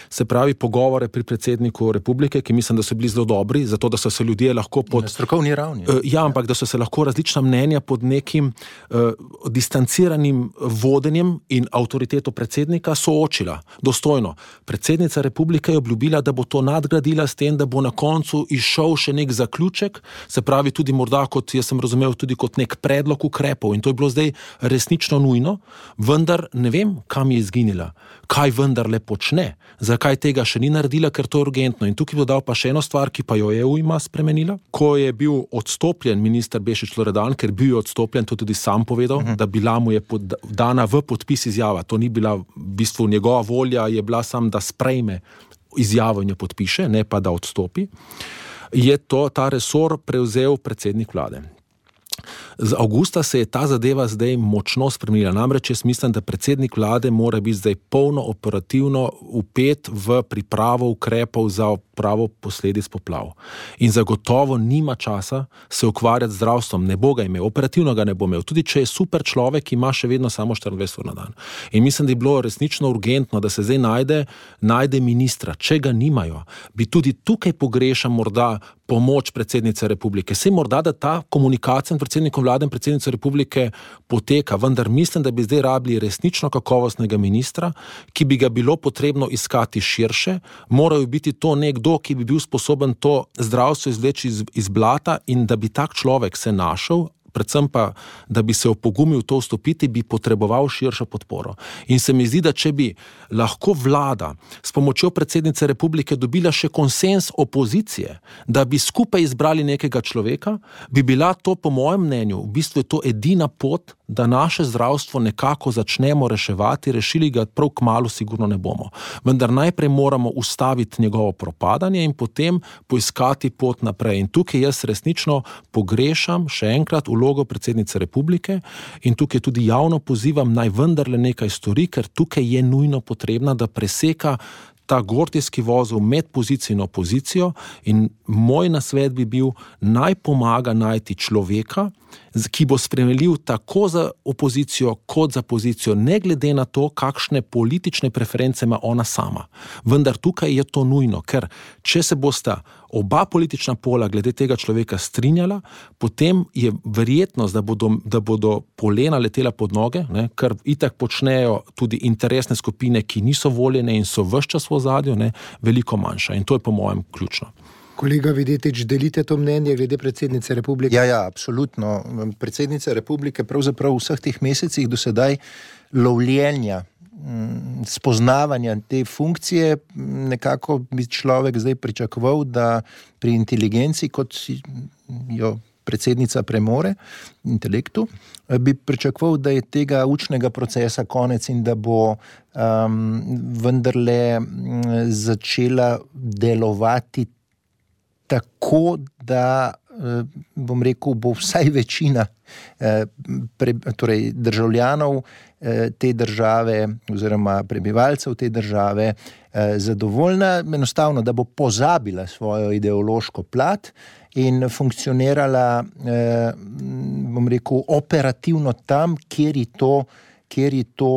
se pravi, pogovore pri predsedniku republike, ki mislim, da so bili zelo dobri, zato da so se ljudje lahko pod... Na strokovni ravni. Uh, ja, ampak da so se lahko različna mnenja pod nekim uh, distanciranim vodenjem in avtoriteto predsednika soočila. Dostojno. Predsednica republike je obljubila, da bo to nadgradila s tem, da bo na koncu izšel še nek zaključek, se pravi tudi morda kot, jaz sem razumel, tudi kot nek predlog ukrepov in to je bilo zdaj resnično nujno, vendar ne vem, kam je izginila, kaj vendarle počne, zakaj tega še ni naredila, ker to je urgentno. In tukaj bi dodal pa še eno stvar, ki pa jo je ujma spremenila. Ko je bil odstopljen minister Bešič Loredan, ker bil odstopljen, to tudi sam povedal, uh-huh. da bila mu je pod, dana v podpis izjava, to ni bila v bistvu njegova volja, je bila sam, da sprejme izjavo in jo podpiše, ne pa da odstopi, je to, ta resor prevzel predsednik vlade. Z avgusta se je ta zadeva zdaj močno spremenila. Namreč jaz mislim, da predsednik vlade mora biti zdaj polno operativno vpet v pripravo ukrepov za odpravo posledic poplav. In zagotovo nima časa se ukvarjati z zdravstvom. Ne bo ga imel, operativno ga ne bo imel. Tudi če je super človek, ima še vedno samo štiriindvajset ur na dan. In mislim, da je bilo resnično urgentno, da se zdaj najde, najde ministra. Če ga nimajo, bi tudi tukaj pogrešam morda pomoč predsednice republike. Sej morda, da ta komunikacija med predsednikom vlade in predsednico republike poteka, vendar mislim, da bi zdaj rabili resnično kakovostnega ministra, ki bi ga bilo potrebno iskati širše, morajo biti to nekdo, ki bi bil sposoben to zdravstvo izvleči iz, iz blata in da bi tak človek se našel, predvsem pa, da bi se opogumil to vstopiti, bi potreboval širšo podporo. In se mi zdi, da če bi lahko vlada s pomočjo predsednice republike dobila še konsens opozicije, da bi skupaj izbrali nekega človeka, bi bila to, po mojem mnenju, v bistvu je to edina pot, da naše zdravstvo nekako začnemo reševati, rešili ga prav kmalu sigurno ne bomo. Vendar najprej moramo ustaviti njegovo propadanje in potem poiskati pot naprej. In tukaj jaz resnično pogrešam še enkrat vlogo predsednice republike in tukaj tudi javno pozivam, naj vendarle nekaj stori, ker tukaj je nujno potrebna, da preseka ta gordijski vozel med pozicijo in opozicijo in moj nasvet bi bil, naj pomaga najti človeka, ki bo sprejemljiv tako za opozicijo kot za pozicijo, ne glede na to, kakšne politične preference ima ona sama. Vendar tukaj je to nujno, ker če se bosta oba politična pola glede tega človeka strinjala, potem je verjetnost, da bodo, da bodo polena letela pod noge, ne, kar itak počnejo tudi interesne skupine, ki niso voljene in so ves čas v ozadju, ne, veliko manjša. In to je po mojem ključno. Kolega Videtič, delite to mnenje glede predsednice republike? Ja, ja, absolutno. Predsednica republike pravzaprav v vseh teh mesecih do sedaj lovljenja, spoznavanja te funkcije, nekako bi človek zdaj pričakoval, da pri inteligenci, kot jo predsednica premore, intelektu, bi pričakoval, da je tega učnega procesa konec in da bo um, vendarle začela delovati tako, da, bom rekel, bo vsaj večina pre, torej državljanov te države oziroma prebivalcev te države zadovoljna, enostavno, da bo pozabila svojo ideološko plat in funkcionirala, bom rekel, operativno tam, kjer je to, kjer je to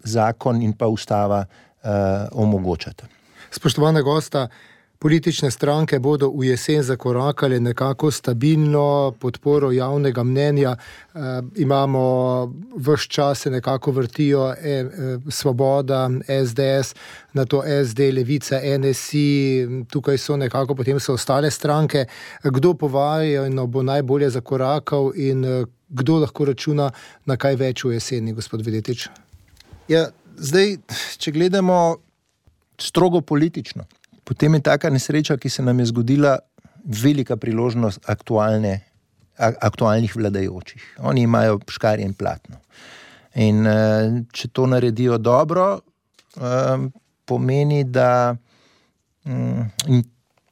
zakon in pa ustava omogočata. Spoštovana gosta, politične stranke bodo v jesen zakorakale nekako stabilno podporo javnega mnenja. E, imamo ves čas se nekako vrtijo e, e, Svoboda, S D S, na to S D, Levica, N S I, tukaj so nekako potem so ostale stranke. Kdo povajeno bo najbolje zakorakal in kdo lahko računa na kaj več v jeseni, gospod Videtič? Ja, zdaj, če gledamo strogo politično, potem je taka nesreča, ki se nam je zgodila, velika priložnost aktualne, aktualnih vladajočih. Oni imajo škarje in platno. In če to naredijo dobro, pomeni, da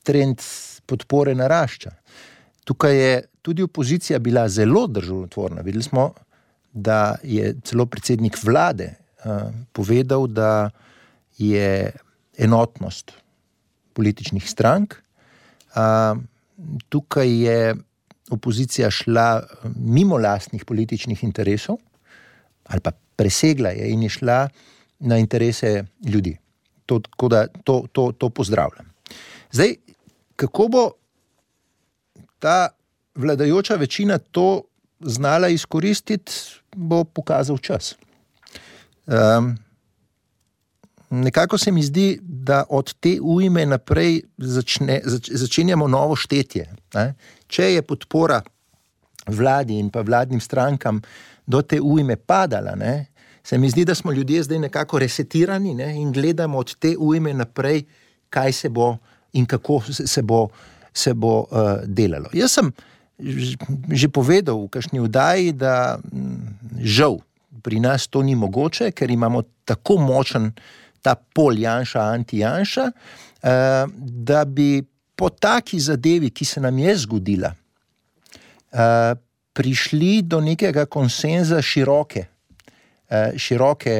trend podpore narašča. Tukaj je tudi opozicija bila zelo državotvorna. Videli smo, da je celo predsednik vlade povedal, da je enotnost političnih strank. Uh, tukaj je opozicija šla mimo lastnih političnih interesov ali pa presegla je in je šla na interese ljudi. To, da, to, to, to pozdravljam. Zdaj, kako bo ta vladajoča večina to znala izkoristiti, bo pokazal čas. Um, Nekako se mi zdi, da od te ujme naprej začne, zač, začenjamo novo štetje. Ne? Če je podpora vladi in pa vladnim strankam do te ujme padala, ne? Se mi zdi, da smo ljudje zdaj nekako resetirani, ne? In gledamo od te ujme naprej, kaj se bo in kako se bo, se bo uh, delalo. Jaz sem že povedal v kakšni oddaji, da žal pri nas to ni mogoče, ker imamo tako močen ta pol Janša, anti-Janša, da bi po taki zadevi, ki se nam je zgodila, prišli do nekega konsenza široke, široke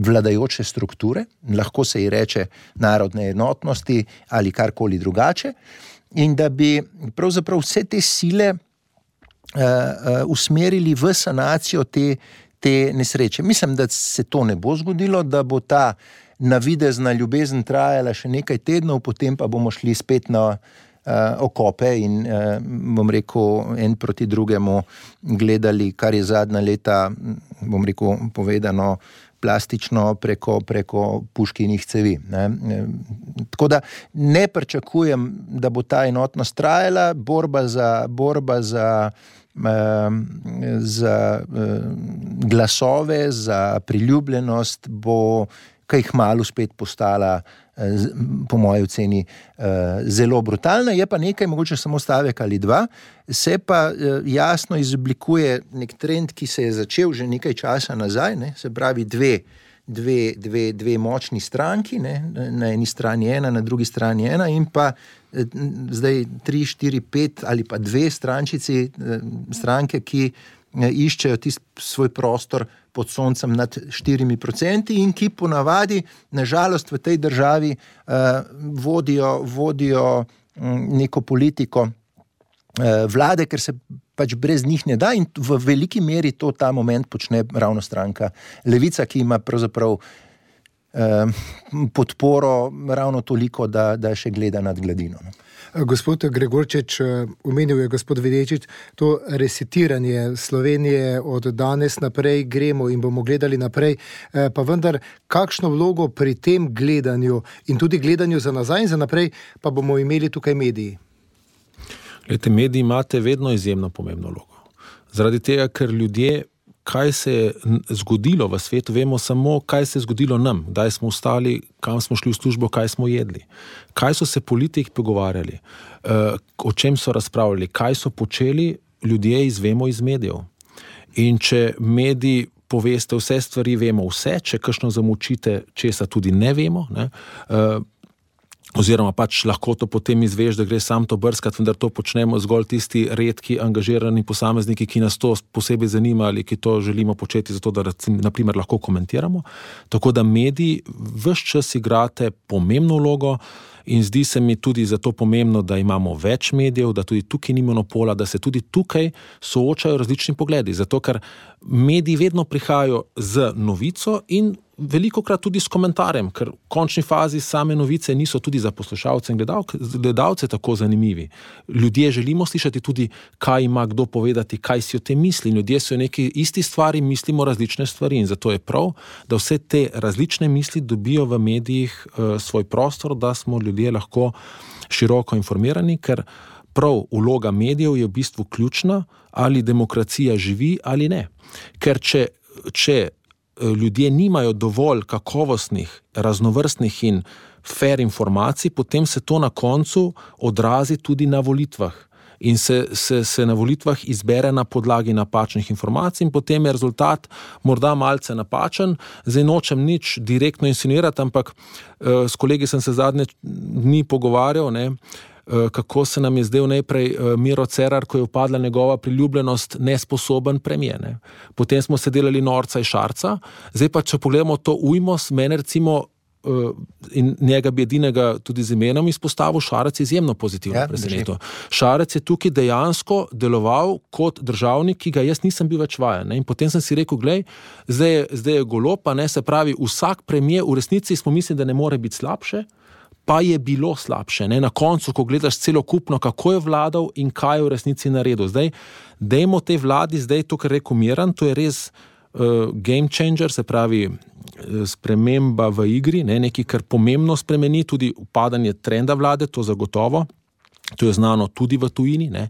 vladajoče strukture, lahko se ji reče narodne enotnosti ali karkoli drugače, in da bi pravzaprav vse te sile usmerili v sanacijo te, te nesreče. Mislim, da se to ne bo zgodilo, da bo ta navidezna ljubezen trajala še nekaj tednov, potem pa bomo šli spet na Uh, okope in, uh, bom rekel, en proti drugemu gledali, kar je zadnja leta, bom rekel, povedano plastično preko, preko puškinih cevi. Ne? Tako da ne pričakujem, da bo ta enotnost trajala, borba za, borba za, uh, za uh, glasove, za priljubljenost bo kaj kmalu spet postala, po moji oceni, zelo brutalna. Je pa nekaj, mogoče samo stavek ali dva, se pa jasno izoblikuje nek trend, ki se je začel že nekaj časa nazaj, ne? Se pravi dve, dve, dve, dve močni stranki, ne? Na eni strani ena, na drugi strani ena in pa zdaj tri, štiri, pet ali pa dve strančici, stranke, ki iščejo tisti svoj prostor pod soncem nad štirimi procenti in ki ponavadi, nažalost, v tej državi uh, vodijo, vodijo um, neko politiko uh, vlade, ker se pač brez njih ne da in v veliki meri to ta moment počne ravno stranka Levica, ki ima pravzaprav uh, podporo ravno toliko, da, da še gleda nad gladino. No. Gospod Gregorčič, omenil je gospod Videčič, to resetiranje Slovenije od danes naprej gremo in bomo gledali naprej, pa vendar kakšno vlogo pri tem gledanju in tudi gledanju za nazaj in za naprej pa bomo imeli tukaj mediji? Glejte, mediji imate vedno izjemno pomembno vlogo. Zaradi tega, ker ljudje, kaj se je zgodilo v svetu, vemo samo, kaj se je zgodilo nam, kdaj smo vstali, kam smo šli v službo, kaj smo jedli, kaj so se politiki pogovarjali, o čem so razpravljali, kaj so počeli, ljudje izvemo iz medijev. In če mediji poveste vse stvari, vemo vse, če kakšno zamučite, česa tudi ne vemo, ne, oziroma pač lahko to potem izveš, da gre sam to brskati, vendar to počnemo zgolj tisti redki, angažirani posamezniki, ki nas to posebej zanima ali ki to želimo početi, zato da naprimer lahko komentiramo. Tako da mediji ves čas igrate pomembno vlogo in zdi se mi tudi zato pomembno, da imamo več medijev, da tudi tukaj ni monopola, da se tudi tukaj soočajo različni pogledi, zato ker mediji vedno prihajajo z novico in velikokrat tudi s komentarjem, ker v končni fazi same novice niso tudi za poslušalce in gledalce tako zanimivi. Ljudje želimo slišati tudi, kaj ima kdo povedati, kaj si o tem misli. Ljudje so neki isti stvari, mislimo različne stvari in zato je prav, da vse te različne misli dobijo v medijih uh, svoj prostor, da smo ljudje lahko široko informirani, ker prav vloga medijev je v bistvu ključna, ali demokracija živi ali ne. Ker če, če ljudje nimajo dovolj kakovostnih, raznovrstnih in fair informacij, potem se to na koncu odrazi tudi na volitvah. In se, se, se na volitvah izbere na podlagi napačnih informacij in potem je rezultat morda malce napačen. Zdaj nočem nič direktno insinuirati, ampak uh, s kolegi sem se zadnje dni pogovarjal, ne, kako se nam je zdel najprej Miro Cerar, ko je upadla njegova priljubljenost, nesposoben premijer. Ne. Potem smo se delali norca in šarca, zdaj pa, če pogledamo to ujmo, mene recimo in njega bi edinega tudi z imenom izpostavil, Šarec je izjemno pozitivno ja, presenetil. Šarec je tukaj dejansko deloval kot državnik, ki ga jaz nisem bil več vajen. Ne. In potem sem si rekel, glej, zdaj je, zdaj je golo, pa ne, se pravi, vsak premijer v resnici smo mislili, da ne more biti slabše, pa je bilo slabše. Ne? Na koncu, ko gledaš celokupno, kako je vladal in kaj je v resnici naredil. Zdaj, dajmo tej vladi, zdaj to, kar rekel Miran, to je res uh, game changer, se pravi sprememba v igri, ne? Nekaj, kar pomembno spremeni, tudi upadanje trenda vlade, to zagotovo. To je znano tudi v tujini, ne.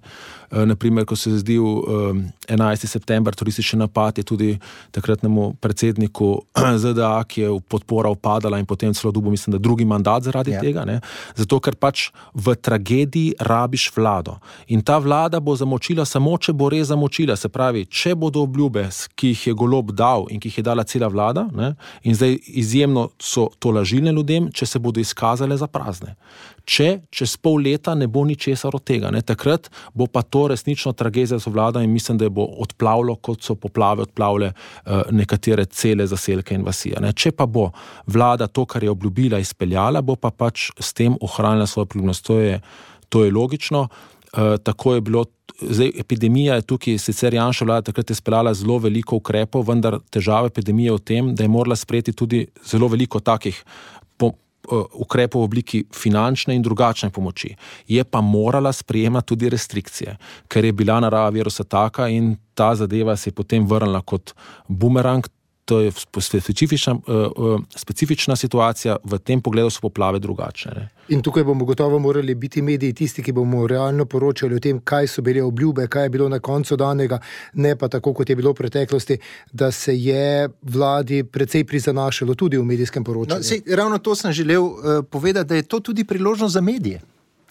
E, naprimer, ko se je zdel um, enajsti september, turistični napad, je tudi takratnemu predsedniku Z D A, ki je podpora upadala in potem celo dobil, mislim, da drugi mandat zaradi ja. tega, ne. Zato, ker pač v tragediji rabiš vlado. In ta vlada bo zamočila samo, če bo res zamočila. Se pravi, če bodo obljube, ki jih je Golob dal in ki jih je dala cela vlada, ne, in zdaj izjemno so to lažilne ljudem, če se bodo izkazale za prazne. Če čez pol leta ne bo ničesar od tega. Ne. Takrat bo pa to resnično tragedija za vlado in mislim, da bo odplavilo, kot so poplave odplavile uh, nekatere cele zaselke in vasije. Ne. Če pa bo vlada to, kar je obljubila, izpeljala, bo pa pač s tem ohranila svojo priljubnost. To je, to je logično. Uh, tako je bilo. Zdaj, epidemija je tukaj, sicer Janševa vlada takrat je speljala zelo veliko ukrepov, vendar težava epidemije v tem, da je morala sprejeti tudi zelo veliko takih po, uh, ukrepov v obliki finančne in drugačne pomoči. Je pa morala sprejemati tudi restrikcije, ker je bila narava virusa taka in ta zadeva se je potem vrnila kot bumerang. To je specifična, uh, specifična situacija, v tem pogledu so poplave drugačne. Ne? In tukaj bomo gotovo morali biti mediji tisti, ki bomo realno poročali o tem, kaj so bile obljube, kaj je bilo na koncu danega, ne pa tako, kot je bilo v preteklosti, da se je vladi precej prizanašalo tudi v medijskem poročanju. No, sej, ravno to sem želel uh, povedati, da je to tudi priložnost za medije.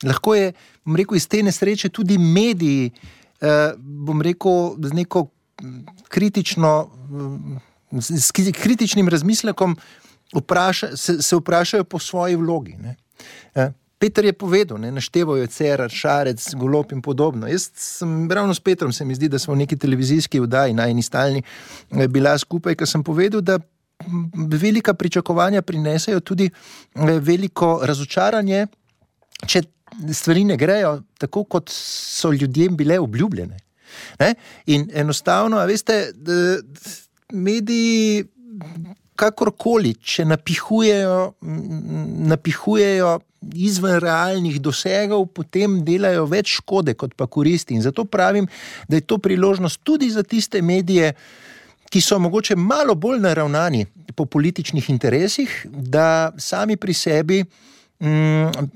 Lahko je, bom rekel, iz te nesreče tudi mediji, uh, bom rekel, z neko kritično... Uh, s kritičnim razmislekom vpraša, se, se vprašajo po svoji vlogi. Ne. Peter je povedal, ne, našteval je Cerar, Šarec, Golob in podobno. Jaz sem, ravno s Petrom se mi zdi, da smo v neki televizijski vdaji na eni stalni bila skupaj, ker sem povedal, da velika pričakovanja prinesejo tudi veliko razočaranje, če stvari ne grejo tako, kot so ljudem bile obljubljene. Ne. In enostavno, a veste, da, mediji kakorkoli, če napihujejo, napihujejo izven realnih dosegov, potem delajo več škode kot pa koristi. In zato pravim, da je to priložnost tudi za tiste medije, ki so mogoče malo bolj naravnani po političnih interesih, da sami pri sebi mm,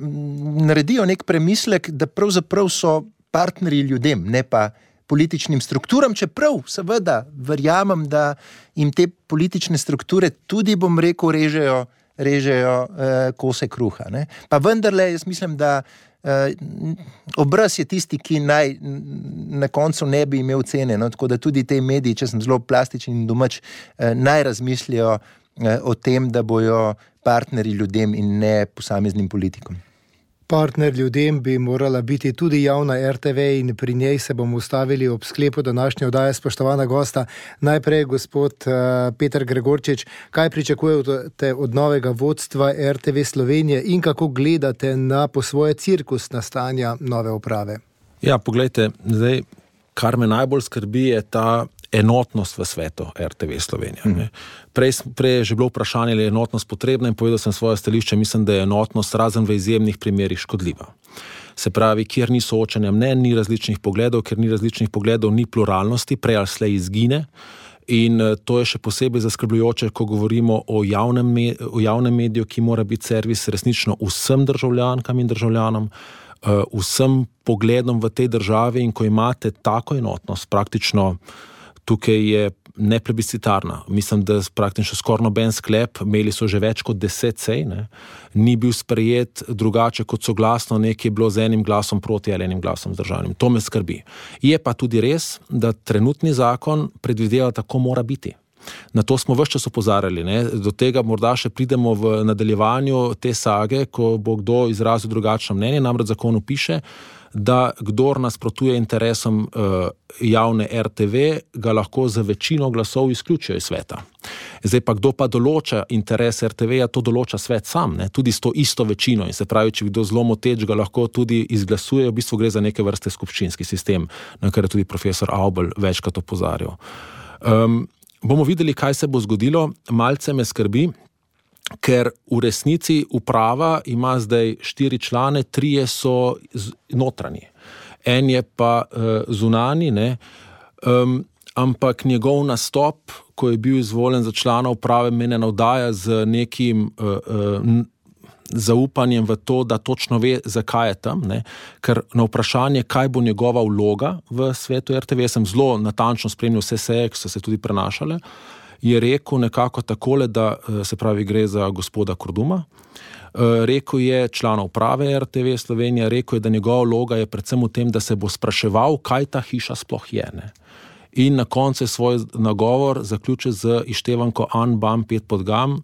naredijo nek premislek, da pravzaprav so partnerji ljudem, ne pa političnim strukturam, čeprav seveda verjamem, da jim te politične strukture tudi, bom rekel, režejo, režejo eh, kose kruha. Ne? Pa vendarle, jaz mislim, da eh, obraz je tisti, ki naj na koncu ne bi imel cene, no? Tako da tudi te mediji, če sem zelo plastičen in domač, eh, naj razmislijo eh, o tem, da bojo partnerji ljudem in ne posameznim politikom. Partner ljudem bi morala biti tudi javna er te ve in pri njej se bomo ustavili ob sklepu današnje oddaje. Spoštovana gosta, najprej gospod uh, Peter Gregorčič, kaj pričakujete od novega vodstva er te ve Slovenije in kako gledate na po svoje cirkusna stanja nove uprave? Ja, poglejte, zdaj, kar me najbolj skrbi, je ta enotnost v svetu er te ve Slovenija. Hmm. Prej, prej je že bilo vprašanje, ali je enotnost potrebna in povedal sem svoje stališče, mislim, da je enotnost razen v izjemnih primerih škodljiva. Se pravi, kjer ni soočanja mnenj, ni različnih pogledov, ker ni različnih pogledov, ni pluralnosti, prej ali slej izgine. In to je še posebej zaskrbljujoče, ko govorimo o javnem, me, o javnem mediju, ki mora biti servis resnično vsem državljankam in državljanom, vsem pogledom v tej državi, in ko imate tako enotnost, praktično tukaj je neplebiscitarna. Mislim, da praktično skoraj noben sklep, imeli so že več kot deset sej, ne, ni bil sprejet drugače kot soglasno, nekaj je bilo z enim glasom proti ali enim glasom zdržanim. To me skrbi. Je pa tudi res, da trenutni zakon predvideva, tako mora biti. Na to smo ves čas opozarjali. Ne. Do tega morda še pridemo v nadaljevanju te sage, ko bo kdo izrazil drugačno mnenje, namreč zakonu piše, da kdor nasprotuje interesom uh, javne er te ve, ga lahko za večino glasov izključijo iz sveta. Zdaj pa, kdo pa določa interes er te ve, to določa svet sam, ne? Tudi s to isto večino. In se pravi, če kdo zelo moteč, ga lahko tudi izglasuje, v bistvu gre za neke vrste skupščinski sistem, na kar je tudi profesor Avbelj večkrat opozarjal. Um, bomo videli, kaj se bo zgodilo. Malce me skrbi, ker v resnici uprava ima zdaj štiri člane, trije so notranji. En je pa uh, zunani, ne, um, ampak njegov nastop, ko je bil izvoljen za člana uprave, me ne navdaja z nekim uh, uh, zaupanjem v to, da točno ve, zakaj je tam, ne, ker na vprašanje, kaj bo njegova vloga v svetu er te ve, sem zelo natančno spremljal vse seje, ki so se tudi prenašale, je rekel nekako takole, da se pravi gre za gospoda Korduma. Rekel je člana uprave er te ve Slovenija, rekel je, da njegova vloga je predvsem v tem, da se bo spraševal, kaj ta hiša sploh je. Ne? In na koncu svoj nagovor zaključil z ištevanko An, Bam, Pet pod Gam,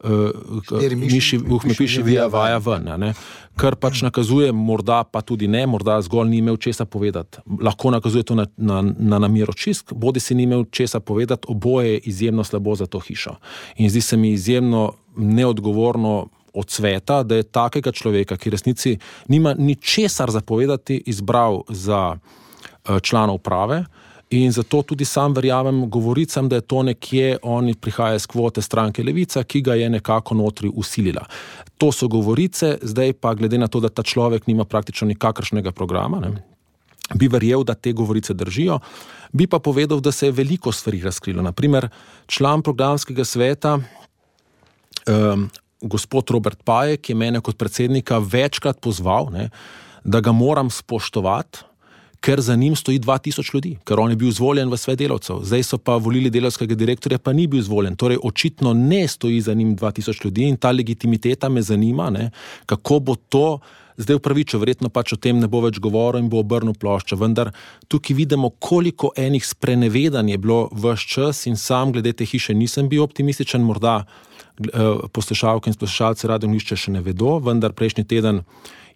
uh, miši, uhme piši vija vaja ven, ne? Kar pač nakazuje, morda pa tudi ne, morda zgolj ni imel česa povedati. Lahko nakazuje to na, na, na namero čisk, bodi si ni imel česa povedati, oboje je izjemno slabo za to hišo. In zdi se mi izjemno neodgovorno od sveta, da je takega človeka, ki resnici nima ničesar za povedati, izbral za uh, člana uprave. In zato tudi sam verjamem govoricam, da je to nekje, oni prihaja iz kvote stranke Levica, ki ga je nekako notri usilila. To so govorice, zdaj pa glede na to, da ta človek nima praktično nikakršnega programa, ne, bi verjel, da te govorice držijo, bi pa povedal, da se je veliko stvari razkrilo. Naprimer, član programskega sveta, um, gospod Robert Pajek, je mene kot predsednika večkrat pozval, ne, da ga moram spoštovati, ker za njim stoji dva tisoč ljudi, ker on je bil izvoljen v svet delavcev. Zdaj so pa volili delavskega direktorja, pa ni bil izvoljen. Torej, očitno ne stoji za njim dva tisoč ljudi in ta legitimiteta me zanima, ne, kako bo to zdaj upravičil. Verjetno pač o tem ne bo več govoril in bo obrnil ploščo. Vendar tukaj vidimo, koliko enih sprenevedanj je bilo ves čas in sam glede te hiše nisem bil optimističen, morda poslušalke in poslušalci Radio Ognišče še ne vedo, vendar prejšnji teden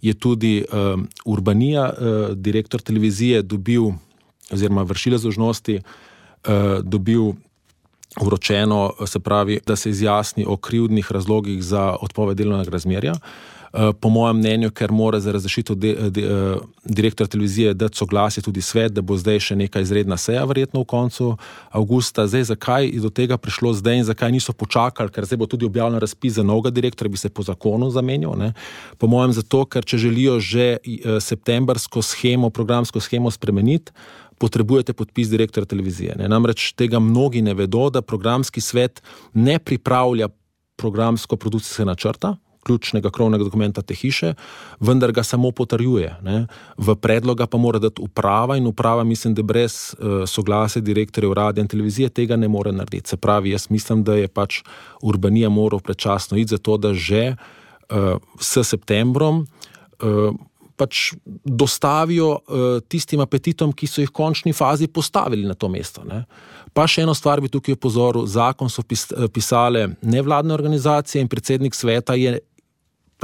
je tudi uh, Urbanija, uh, direktor televizije, dobil, oziroma vršilec dolžnosti, uh, dobil vročeno, se pravi, da se izjasni o krivdnih razlogih za odpoved delovnega razmerja. Uh, po mojem mnenju, ker mora za razrešitev de, de, uh, direktor televizije dati soglasje tudi svet, da bo zdaj še neka izredna seja, verjetno v koncu avgusta. Zdaj, zakaj je do tega prišlo zdaj in zakaj niso počakali, ker zdaj bo tudi objavljen razpis za novega direktorja, bi se po zakonu zamenjal, ne? Po mojem zato, ker če želijo že uh, septembrsko schemo, programsko schemo spremeniti, potrebujete podpis direktorja televizije. Ne? Namreč tega mnogi ne vedo, da programski svet ne pripravlja programsko-produkcijske načrta, ključnega krovnega dokumenta te hiše, vendar ga samo potrjuje. Ne? V predloga pa mora dati uprava in uprava, mislim, da brez uh, soglasja direktorjev radia in televizije tega ne more narediti. Se pravi, jaz mislim, da je pač Urbanija moral predčasno iti za to, da že uh, s septembrom uh, pač dostavijo uh, tistim apetitom, ki so jih v končni fazi postavili na to mesto. Ne? Pa še eno stvar bi tukaj opozoril, zakon so pis, pisale nevladne organizacije in predsednik sveta je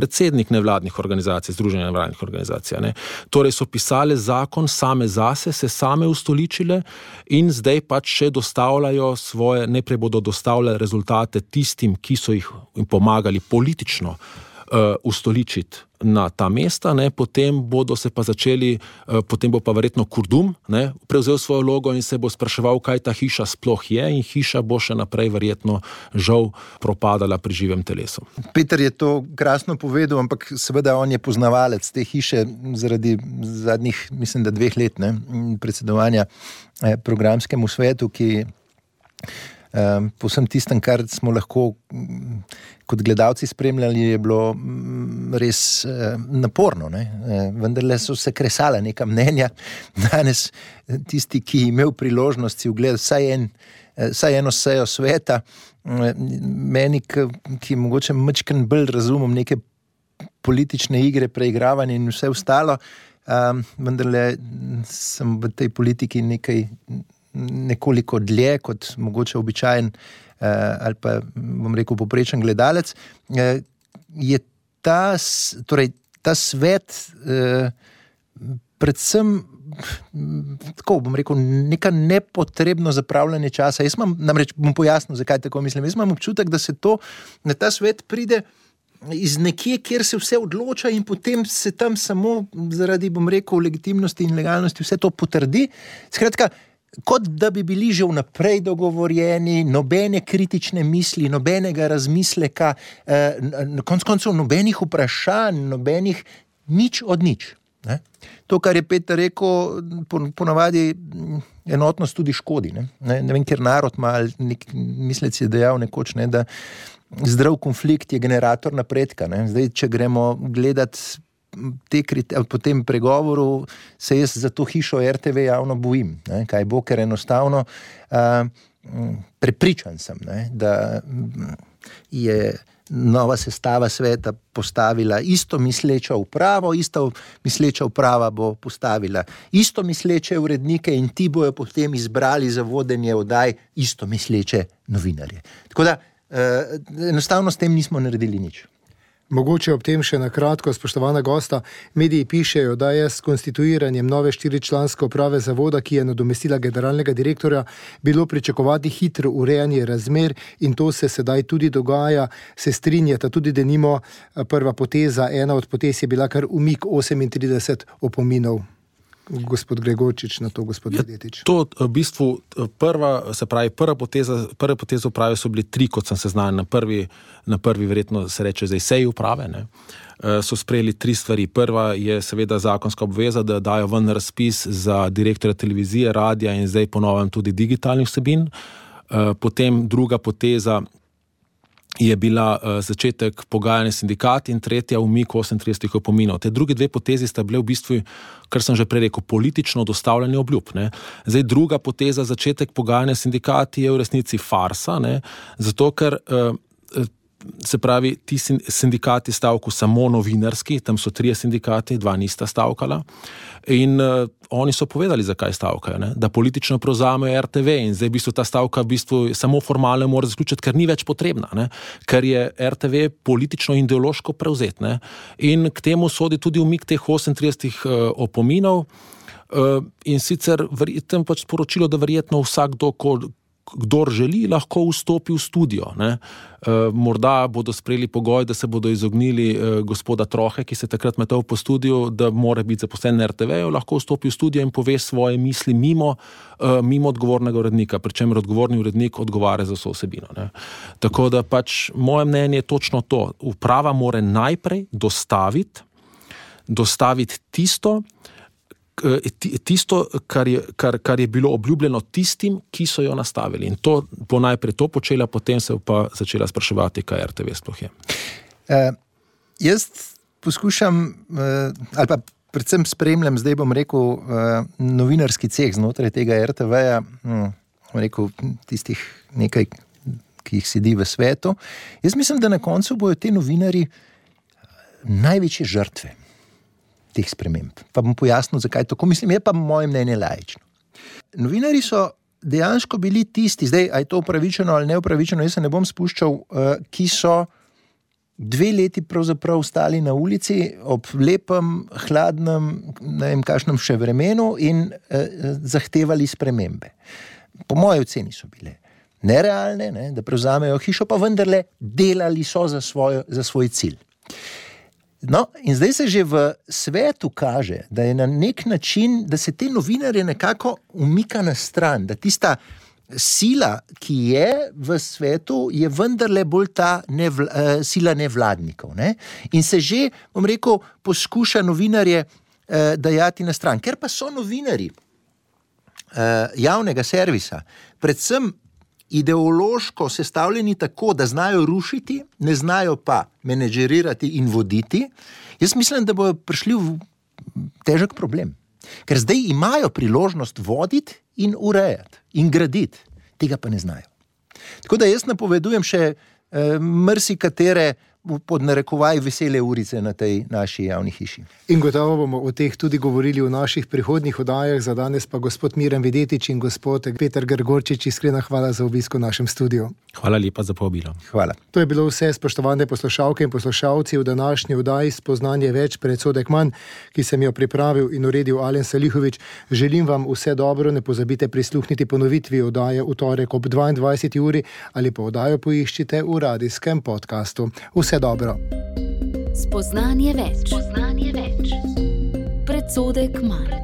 predsednik nevladnih organizacij, združenja nevladnih organizacij. Ne? Torej so pisale zakon same zase, se same ustoličile in zdaj pač še dostavljajo svoje, najprej bodo dostavljali rezultate tistim, ki so jih pomagali politično uh, ustoličiti na ta mesta, ne, potem bodo se pa začeli, uh, potem bo pa verjetno Kurdum, ne, prevzel svojo vlogo in se bo spraševal, kaj ta hiša sploh je in hiša bo še naprej verjetno žal propadala pri živem telesu. Peter je to krasno povedal, ampak seveda on je poznavalec te hiše zaradi zadnjih, mislim, da dveh let, ne, predsedovanja eh, programskemu svetu, ki Um, po vsem tistem, kar smo lahko um, kot gledalci spremljali, je bilo um, res um, naporno. Ne? Um, vendarle so se kresala neka mnenja. Danes tisti, ki je imel priložnost si ogledati vsaj, en, vsaj eno sejo sveta, um, meni, ki, ki mogoče majčkeno bolj razumem neke politične igre, preigravanje in vse ostalo, um, vendarle sem v tej politiki nekaj nekoliko dlje kot mogoče običajen eh, ali pa, bom rekel, poprečen gledalec, eh, je ta, torej, ta svet eh, predvsem tako, bom rekel, neka nepotrebno zapravljanje časa. Jaz imam, namreč bom pojasnil, zakaj tako mislim. Jaz imam občutek, da se to, na ta svet pride iz nekje, kjer se vse odloča in potem se tam samo zaradi, bom rekel, legitimnosti in legalnosti vse to potrdi. Skratka, kot da bi bili že vnaprej dogovorjeni, nobene kritične misli, nobenega razmisleka, eh, na koncu koncev nobenih vprašanj, nobenih nič od nič. Ne? To, kar je Peter rekel, ponavadi enotnost tudi škodi. Ne, ne, ne vem, ker narod ima, nek mislec je dejal nekoč, ne, da zdrav konflikt je generator napredka. Ne. Zdaj, če gremo gledati te kriterije, po tem pregovoru se jaz za to hišo R T V javno bojim, ne, kaj bo, ker enostavno uh, prepričan sem, ne, da je nova sestava sveta postavila isto misleča upravo, isto misleča uprava bo postavila isto misleče urednike in ti bojo potem izbrali za vodenje oddaj isto misleče novinarje. Tako da enostavno s tem nismo naredili nič. Mogoče ob tem še na kratko, spoštovana gosta, mediji pišejo, da je s konstituiranjem nove štiričlanske uprave zavoda, ki je nadomestila generalnega direktorja, bilo pričakovati hitro urejanje razmer in to se sedaj tudi dogaja. Se strinjata tudi, da nimo prva poteza, ena od potez je bila kar umik osemintrideset opominov. Gospod Gregorčič, na to gospod Vedetič. To v bistvu prva, se pravi, prva poteza, prve poteze uprave so bili tri, kot sem se znal, na prvi, na prvi verjetno se reče zdaj seji uprave, ne, so sprejeli tri stvari. Prva je seveda zakonska obveza, da dajo ven razpis za direktorja televizije, radija in zdaj ponovim tudi digitalnih vsebin. Potem druga poteza je bila uh, začetek pogajanja sindikat in tretja umik osemintrideset opominov. Te druge dve potezi sta bile v bistvu, kar sem že prej rekel, politično dostavljanje obljub. Ne. Zdaj druga poteza, začetek pogajanja sindikati je v resnici farsa, ne, zato ker uh, se pravi, ti sindikati stavku samo novinarski, tam so trije sindikati, dva nista stavkala in uh, oni so povedali, zakaj stavkajo, ne? Da politično prevzamejo R T V in zdaj v bistvu ta stavka v bistvu samo formalno mora zaključiti, ker ni več potrebna, ne? Ker je R T V politično in ideološko prevzet, ne? In k temu sodi tudi umik teh osemintrideset uh, opominov uh, in sicer verjetno pač sporočilo, da verjetno vsakdo, ko kdor želi, lahko vstopi v studio. Ne? E, morda bodo sprejeli pogoj, da se bodo izognili e, gospoda Trohe, ki se takrat metal po studiu, da mora biti zaposlen na R T V-ju, lahko vstopi v studio in pove svoje misli mimo, e, mimo odgovornega urednika, pri čemer odgovorni urednik odgovarja za vso vsebino. Ne? Tako da pač moje mnenje je točno to. Uprava mora najprej dostaviti, dostaviti tisto, tisto, kar je, kar, kar je bilo obljubljeno tistim, ki so jo nastavili. In to bo najprej to počela, potem se pa začela spraševati, kaj R T V sploh je. Uh, jaz poskušam, uh, ali pa predvsem spremljam, zdaj bom rekel, uh, novinarski ceh znotraj tega R T V-ja, hm, bom rekel, tistih nekaj, ki jih sedi v svetu. Jaz mislim, da na koncu bojo te novinari največje žrtve teh sprememb. Pa bom pojasnil, zakaj tako mislim, je pa moje mnenje laično. Novinari so dejansko bili tisti, zdaj, a je to upravičeno ali neupravičeno, jaz se ne bom spuščal, ki so dve leti pravzaprav stali na ulici ob lepem, hladnem, ne vem kakšnem še vremenu in eh, zahtevali spremembe. Po moji oceni so bile nerealne, ne, da prevzamejo hišo, pa vendarle delali so za, svojo, za svoj cilj. No, in zdaj se že v svetu kaže, da je na nek način, da se te novinarje nekako umika na stran, da tista sila, ki je v svetu, je vendarle bolj ta nevla, uh, sila nevladnikov. Ne? In se že, bom rekel, poskuša novinarje uh, dajati na stran. Ker pa so novinari uh, javnega servisa, predvsem ideološko sestavljeni tako, da znajo rušiti, ne znajo pa menedžerirati in voditi, jaz mislim, da bodo prišli v težek problem. Ker zdaj imajo priložnost voditi in urejati in graditi. Tega pa ne znajo. Tako da jaz napovedujem še eh, marsikatere pod narekovaj vesele urice na tej naši javni hiši. In gotovo bomo o teh tudi govorili v naših prihodnjih oddajah. Za danes pa gospod Miran Vedetič in gospod Peter Gregorčič, iskrena hvala za obisk v našem studiu. Hvala lepa za povabilo. Hvala. To je bilo vse, spoštovane poslušalke in poslušalci, v današnji oddaji Spoznanje več, predsodek manj, ki sem jo pripravil in uredil Alen Salihovič. Želim vam vse dobro, ne pozabite prisluhniti ponovitvi oddaje v torek ob dvaindvajseti uri ali pa oddajo poiščite v radijskem podcastu. Vse dobro. Spoznanje več. Spoznanje več. Predsodek manj.